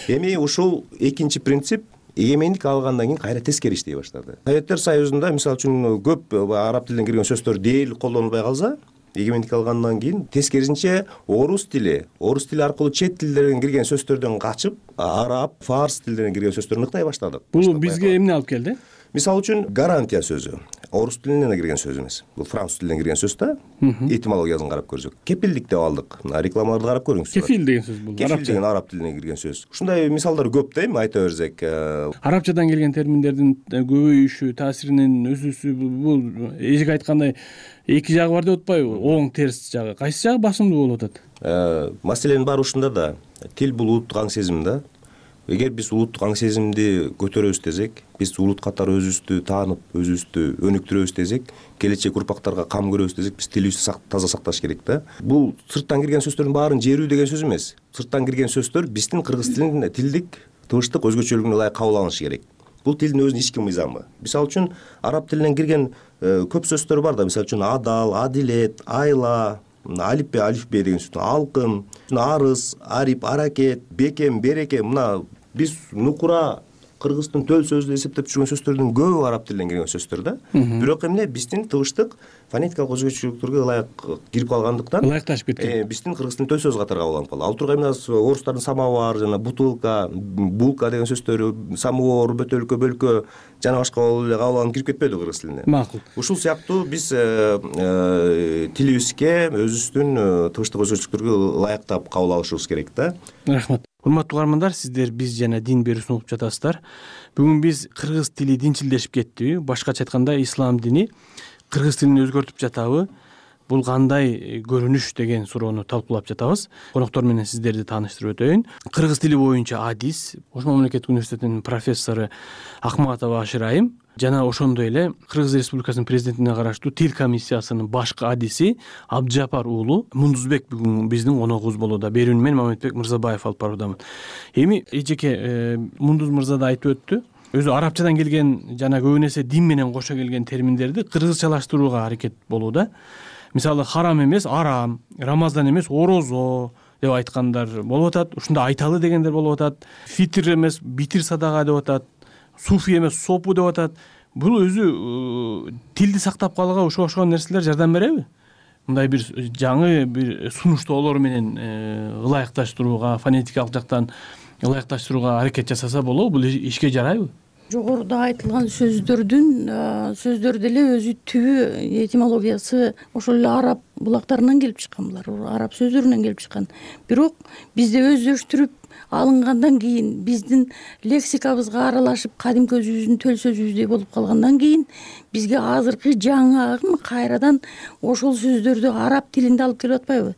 Эми ушул экинчи принцип эгемендик алгандан кийин кайра тескери иштей баштады. Советтер Союзунда мисалы үчүн көп араб тилинен кирген сөздөр дээрлик колдонулбай калса, эгемендик алгандан кийин тескерисинче орус тили, орус тили аркылуу чет тилдерден кирген сөздөрдөн качып, араб, фарс тилдеринен кирген сөздөрүн ыктай баштадык. Бул бизге эмне алып келди? Мисалы үчүн гарантия сөзү орус тилинен кирген сөз эмес. Бул француз тилинен кирген сөз да. Этимологиясын карап көрсөк. Кепилдик деп алдык. Рекламаларды карап көрүңүз. Кефил деген сөз бул. Кефил деген араб тилинен кирген сөз. Ушундай мисалдар көп да эми айта берсек. Арабчадан келген терминдердин көбөйүшү, таасиринин өсүүсү бул эжеке айткандай эки жагы бар деп атпайбы? Оң, терс жагы. Кайсы жагы басымдуу болуп атат? Маселенин баары ушунда да. Тил бул улуттук аң сезим да. Эгер биз улуттук аң сезимди көтөрөбүз десек, биз улут катары өзүбүздү таанып, өзүбүздү өнүктүрөбүз десек, келечек урпактарга кам көрөбүз десек, биз тилибизди таза сакташ керек да. Бул сырттан кирген сөздөрдүн баарын жерүү деген сөз эмес. Сырттан кирген сөздөр биздин кыргыз тилинин тилдик, тыбыштык өзгөчөлүгүнө ылайык кабыл алынышы керек. Бул тилдин өзүнүн ички мыйзамы. Мисалы үчүн араб тилинен кирген көп сөздөр бар да, мисалы үчүн адал, адилет, айла, алипбе, алифбе деген сөз, алкым, арыз, арип, аракет, бекем, береке, мына биз нукура кыргыздын төл сөзү деп эсептеп жүргөн сөздөрдүн көбү араб тилинен келген сөздөр да. Бирок эмне биздин тыбыштык фонетикалык өзгөчөлүктөргө ылайык кирип калгандыктан ылайыкташып кеткен. Биздин кыргыз тилин төл сөз катары кабыл алынып калды. Ал тургай эмне орустардын самовар жана бутылка, булка деген сөздөрү, самовар, бөтөлкө, бөлкө жана башка эле кабыл алынып кирип кетпеди кыргыз тилине. Макул. Ушул сыяктуу биз тилибизге өзүбүздүн тыбыштык өзгөчөлүктөргө ылайыктап кабыл алышыбыз керек да. Рахмат. Урматтуу угармандар, сиздер биз жана дин берүүсүн угуп жатасыздар. Бүгүн биз кыргыз тили динчилдешип кеттиби? Башкача айтканда ислам дини кыргыз тилин өзгөртүп жатабы? Бул кандай көрүнүш деген суроону талкуулап жатабыз. Коноктор менен сиздерди тааныштырып өтөйүн. Кыргыз тили боюнча адис Ош мамлекеттик университетинин профессору Акматова Ашырайым жана ошондой эле Кыргыз Республикасынын президентине караштуу тил комиссиясынын башкы адиси Абджапар уулу Мундузбек бүгүн биздин коногубуз болууда. Берүүнү мен Мамедбек Мырзабаев алып баруудамын. Эми эжеке Мундуз мырза да айтып өттү. Өзү арабчадан келген жана көбүн эсе дин менен кошо келген терминдерди кыргызчалаштырууга аракет болууда. Мисалы харам эмес арам, Рамазан эмес орозо деп айткандар болуп атат. Ушунда айталы дегендер болуп атат. Фитр эмес битир садага деп атат. Суфи эмес сопу деп атат. Бул өзү тилди сактап калууга ушуга окшогон нерселер жардам береби? Мындай бир жаңы бир сунуштоолор менен ылайыкташтырууга, фонетикалык жактан ылайыкташтырууга аракет жасаса болобу? Бул ишке жарайбы? Жогоруда айтылган сөздөрдүн сөздөр деле өзү түбү этимологиясы ошол эле араб булактарынан келип чыккан, булар араб сөздөрүнөн келип чыккан. Бирок бизде өздөштүрүп алынгандан кийин, биздин лексикабызга аралашып кадимки өзүбүздүн төл сөзүбүздөй болуп калгандан кийин бизге азыркы жаңы агым кайрадан ошол сөздөрдү араб тилинде алып келип атпайбы?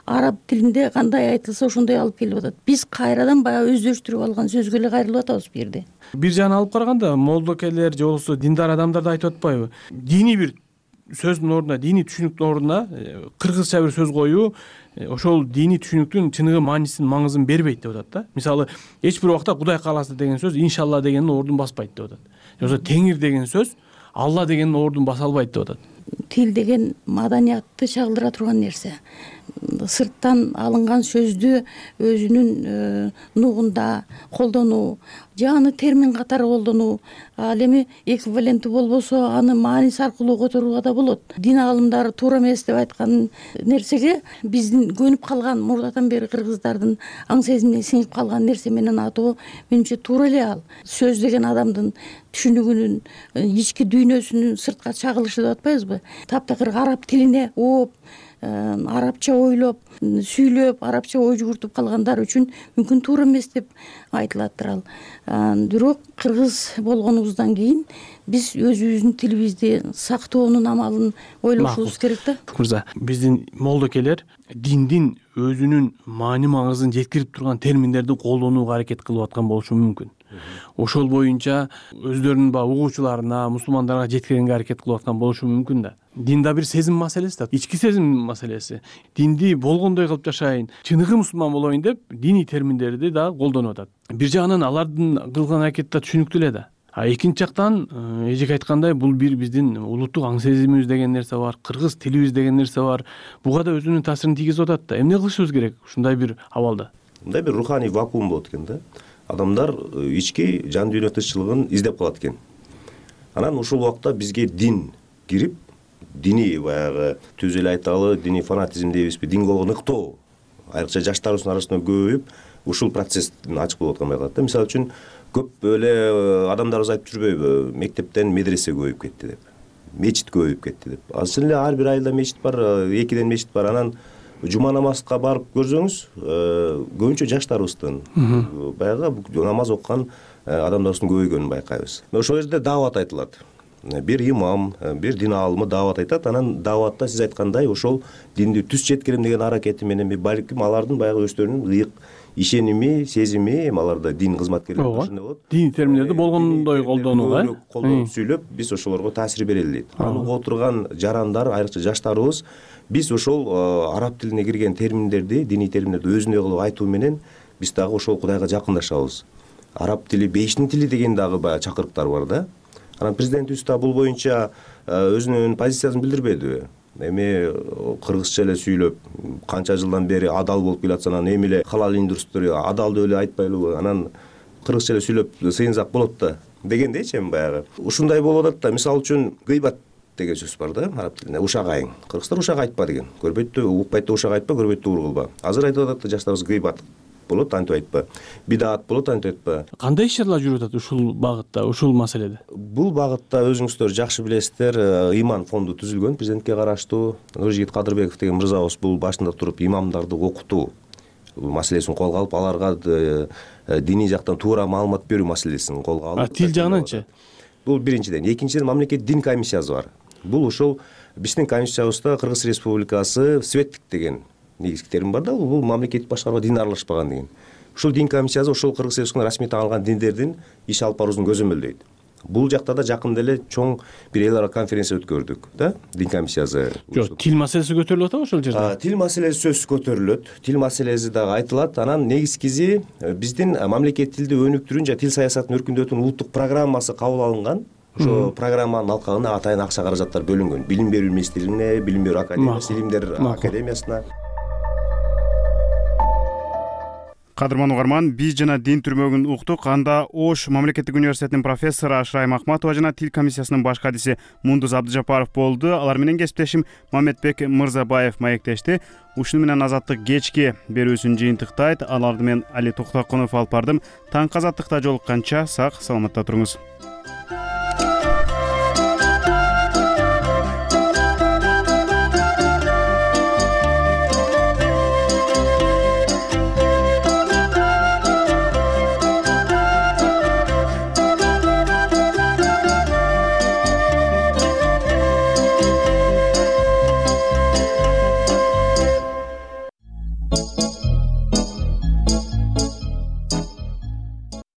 Араб тилинде кандай айтылса ошондой алып келип атат. Биз кайрадан баягы өздөштүрүп алган сөзгө эле кайрылып атабыз бу жерде. Бир жагынан алып караганда молдокелер же болбосо диндар адамдар да айтып атпайбы? Диний бир сөздүн ордуна, диний түшүнүктүн ордуна кыргызча бир сөз коюу ошол диний түшүнүктүн чыныгы маанисин, маңызын бербейт деп атат да. Мисалы, эч бир убакта Кудай кааласа деген сөз иншалла дегендин ордун баспайт деп атат. Же болбосо теңир деген сөз Алла дегендин ордун баса албайт деп атат. Тил деген маданиятты чагылдыра турган нерсе. Сырттан алынган сөздү өзүнүн нугунда колдонуу, же аны термин катары колдонуу, ал эми эквиваленттүү болбосо аны мааниси аркылуу которууга да болот. Дин аалымдары туура эмес деп айткан нерсеге биздин көнүп калган мурдатан бери кыргыздардын аң сезимине сиңип калган нерсе менен атоо менимче туура эле ал. Сөз деген адамдын түшүнүгүнүн, ички дүйнөсүнүн сыртка чагылышы деп атпайбызбы? Таптакыр араб тилине ооп, арабча ойлоп, сүйлөп, арабча ой жүгүртүп калгандар үчүн мүмкүн туура эмес деп айтылаттыр ал. Бирок кыргыз болгонубуздан кийин биз өзүбүздүн тилибизди сактоонун амалын ойлошубуз керек да. Мырза, биздин молдокелер диндин өзүнүн маани маңызын жеткирип турган терминдерди колдонууга аракет кылып аткан болушу мүмкүн. Ошол боюнча өздөрүнүн баягы угуучуларына, мусулмандарга жеткиргенге аракет кылып аткан болушу мүмкүн да. Дин да бир сезим маселеси да, ички сезим маселеси. Динди болгондой кылып жашайын, чыныгы мусулман болоюн деп диний терминдерди да колдонуп атат. Бир жагынан алардын кылган аракети да түшүнүктүү эле да. А экинчи жактан эжеке айткандай бул бир биздин улуттук аң сезимибиз деген нерсе бар, кыргыз тилибиз деген нерсе бар. Буга да өзүнүн таасирин тийгизип атат да. Эмне кылышыбыз керек ушундай бир абалда? Мындай бир руханий вакуум болот экен да. Адамдар ички жан дүйнө тынччылыгын издеп калат экен. Анан ушул убакта бизге дин кирип, диний баягы түз эле айталы, диний фанатизм дейбизби, динге болгон ыктоо айрыкча жаштарыбыздын арасында көбөйүп, ушул процесстин ачык болуп аткан байкалат да. Мисалы үчүн көп эле адамдарыбыз айтып жүрбөйбү, мектептен медресе көбөйүп кетти деп, мечит көбөйүп кетти деп. Азыр эле ар бир айылда мечит бар, экиден мечит бар. Анан жума намазга барып көрсөңүз, көбүнчө жаштарыбыздын баягы намаз окуган адамдарыбыздын көбөйгөнүн байкайбыз. Ошол жерде даават айтылат. Бир имам, бир дин аалымы даават айтат. Анан дааватта сиз айткандай ошол динди түз жеткирем деген аракети менен балким алардын баягы өздөрүнүн ыйык ишеними, сезими, аларда дин кызматкерлери ушундай болот. Дин терминдерди болгондой колдонууга, колдонуп сүйлөп, биз ошолорго таасир берели дейт. Ал угуп отурган жарандар, айрыкча жаштарыбыз биз ошол араб тилине кирген терминдерди, диний терминдерди өзүндөй кылып айтуу менен биз дагы ошол Кудайга жакындашабыз. Араб тили бейиштин тили деген дагы баягы чакырыктар бар да. Анан президентибиз да бул боюнча өзүнүн позициясын билдирбедиби? Эми кыргызча эле сүйлөп, канча жылдан бери адал болуп келатса, анан эми эле халал индустрия адал деп эле айтпайлыбы? Анан кыргызча эле сүйлөп сыйынсак болот да дегендейчи. Эми баягы ушундай болуп атат да. Мисалы үчүн гыйбат деген сөз бар да араб тилинде, ушак айың. Кыргыздар ушак айтпа деген. Көрбөйт да, укпайт да, ушак айтпа, көрбөйт да, ур кылба. Азыр айтып атат да жаштарыбыз гыйбат болот, антип айтпа. Бидаат болот, антип айтпа. Кандай иш-чаралар жүрүп атат ушул багытта, ушул маселеде? Бул багытта өзүңүздөр жакшы билесиздер, иман фонду түзүлгөн президентке караштуу. Нуржигит Кадырбеков деген мырзабыз бул башында туруп имамдарды окутуу маселесин колго алып, аларга диний жактан туура маалымат берүү маселесин колго алып. А тил жагынанчы? Бул биринчиден. Экинчиден, мамлекет дин комиссиясы бар. Бул ошол биздин комиссиябызда Кыргыз Республикасы светтик деген негизги термин бар да, бул мамлекеттик башкарууга дин аралашпаган деген. Ушул дин комиссиясы ошол Кыргыз Республикасынын расмий таанылган диндердин иш алып баруусун көзөмөлдөйт. Бул жакта да жакында эле чоң бир эл аралык конференция өткөрдүк да, дин комиссиясы. Жок, тил маселеси көтөрүлүп атабы ошол жерде? Тил маселеси сөзсүз көтөрүлөт. Тил маселеси дагы айтылат. Анан негизгиси биздин мамлекет тилди өнүктүрүүнү жана тил саясатын өркүндөтүүнүн улуттук программасы кабыл алынган. Ошо программанын алкагына атайын акча каражаттар бөлүнгөн. Билим берүү министрлигине, билим берүү академиясы, илимдер академиясына. Кадырман угарман, биз жана дин түрмөгүн уктук. Анда Ош мамлекеттик университетинин профессору Ашрайым Акматова жана тил комиссиясынын баш кадиси Мундуз Абдыжапаров болду. Алар менен кесиптешим Мамедбек Мырзабаев маектешти. Ушуну менен Азаттык кечки берүүсүн жыйынтыктайт. Аларды мен Али Токтокунов алып бардым. Таңкы Азаттыкта жолукканча сак саламатта туруңуз.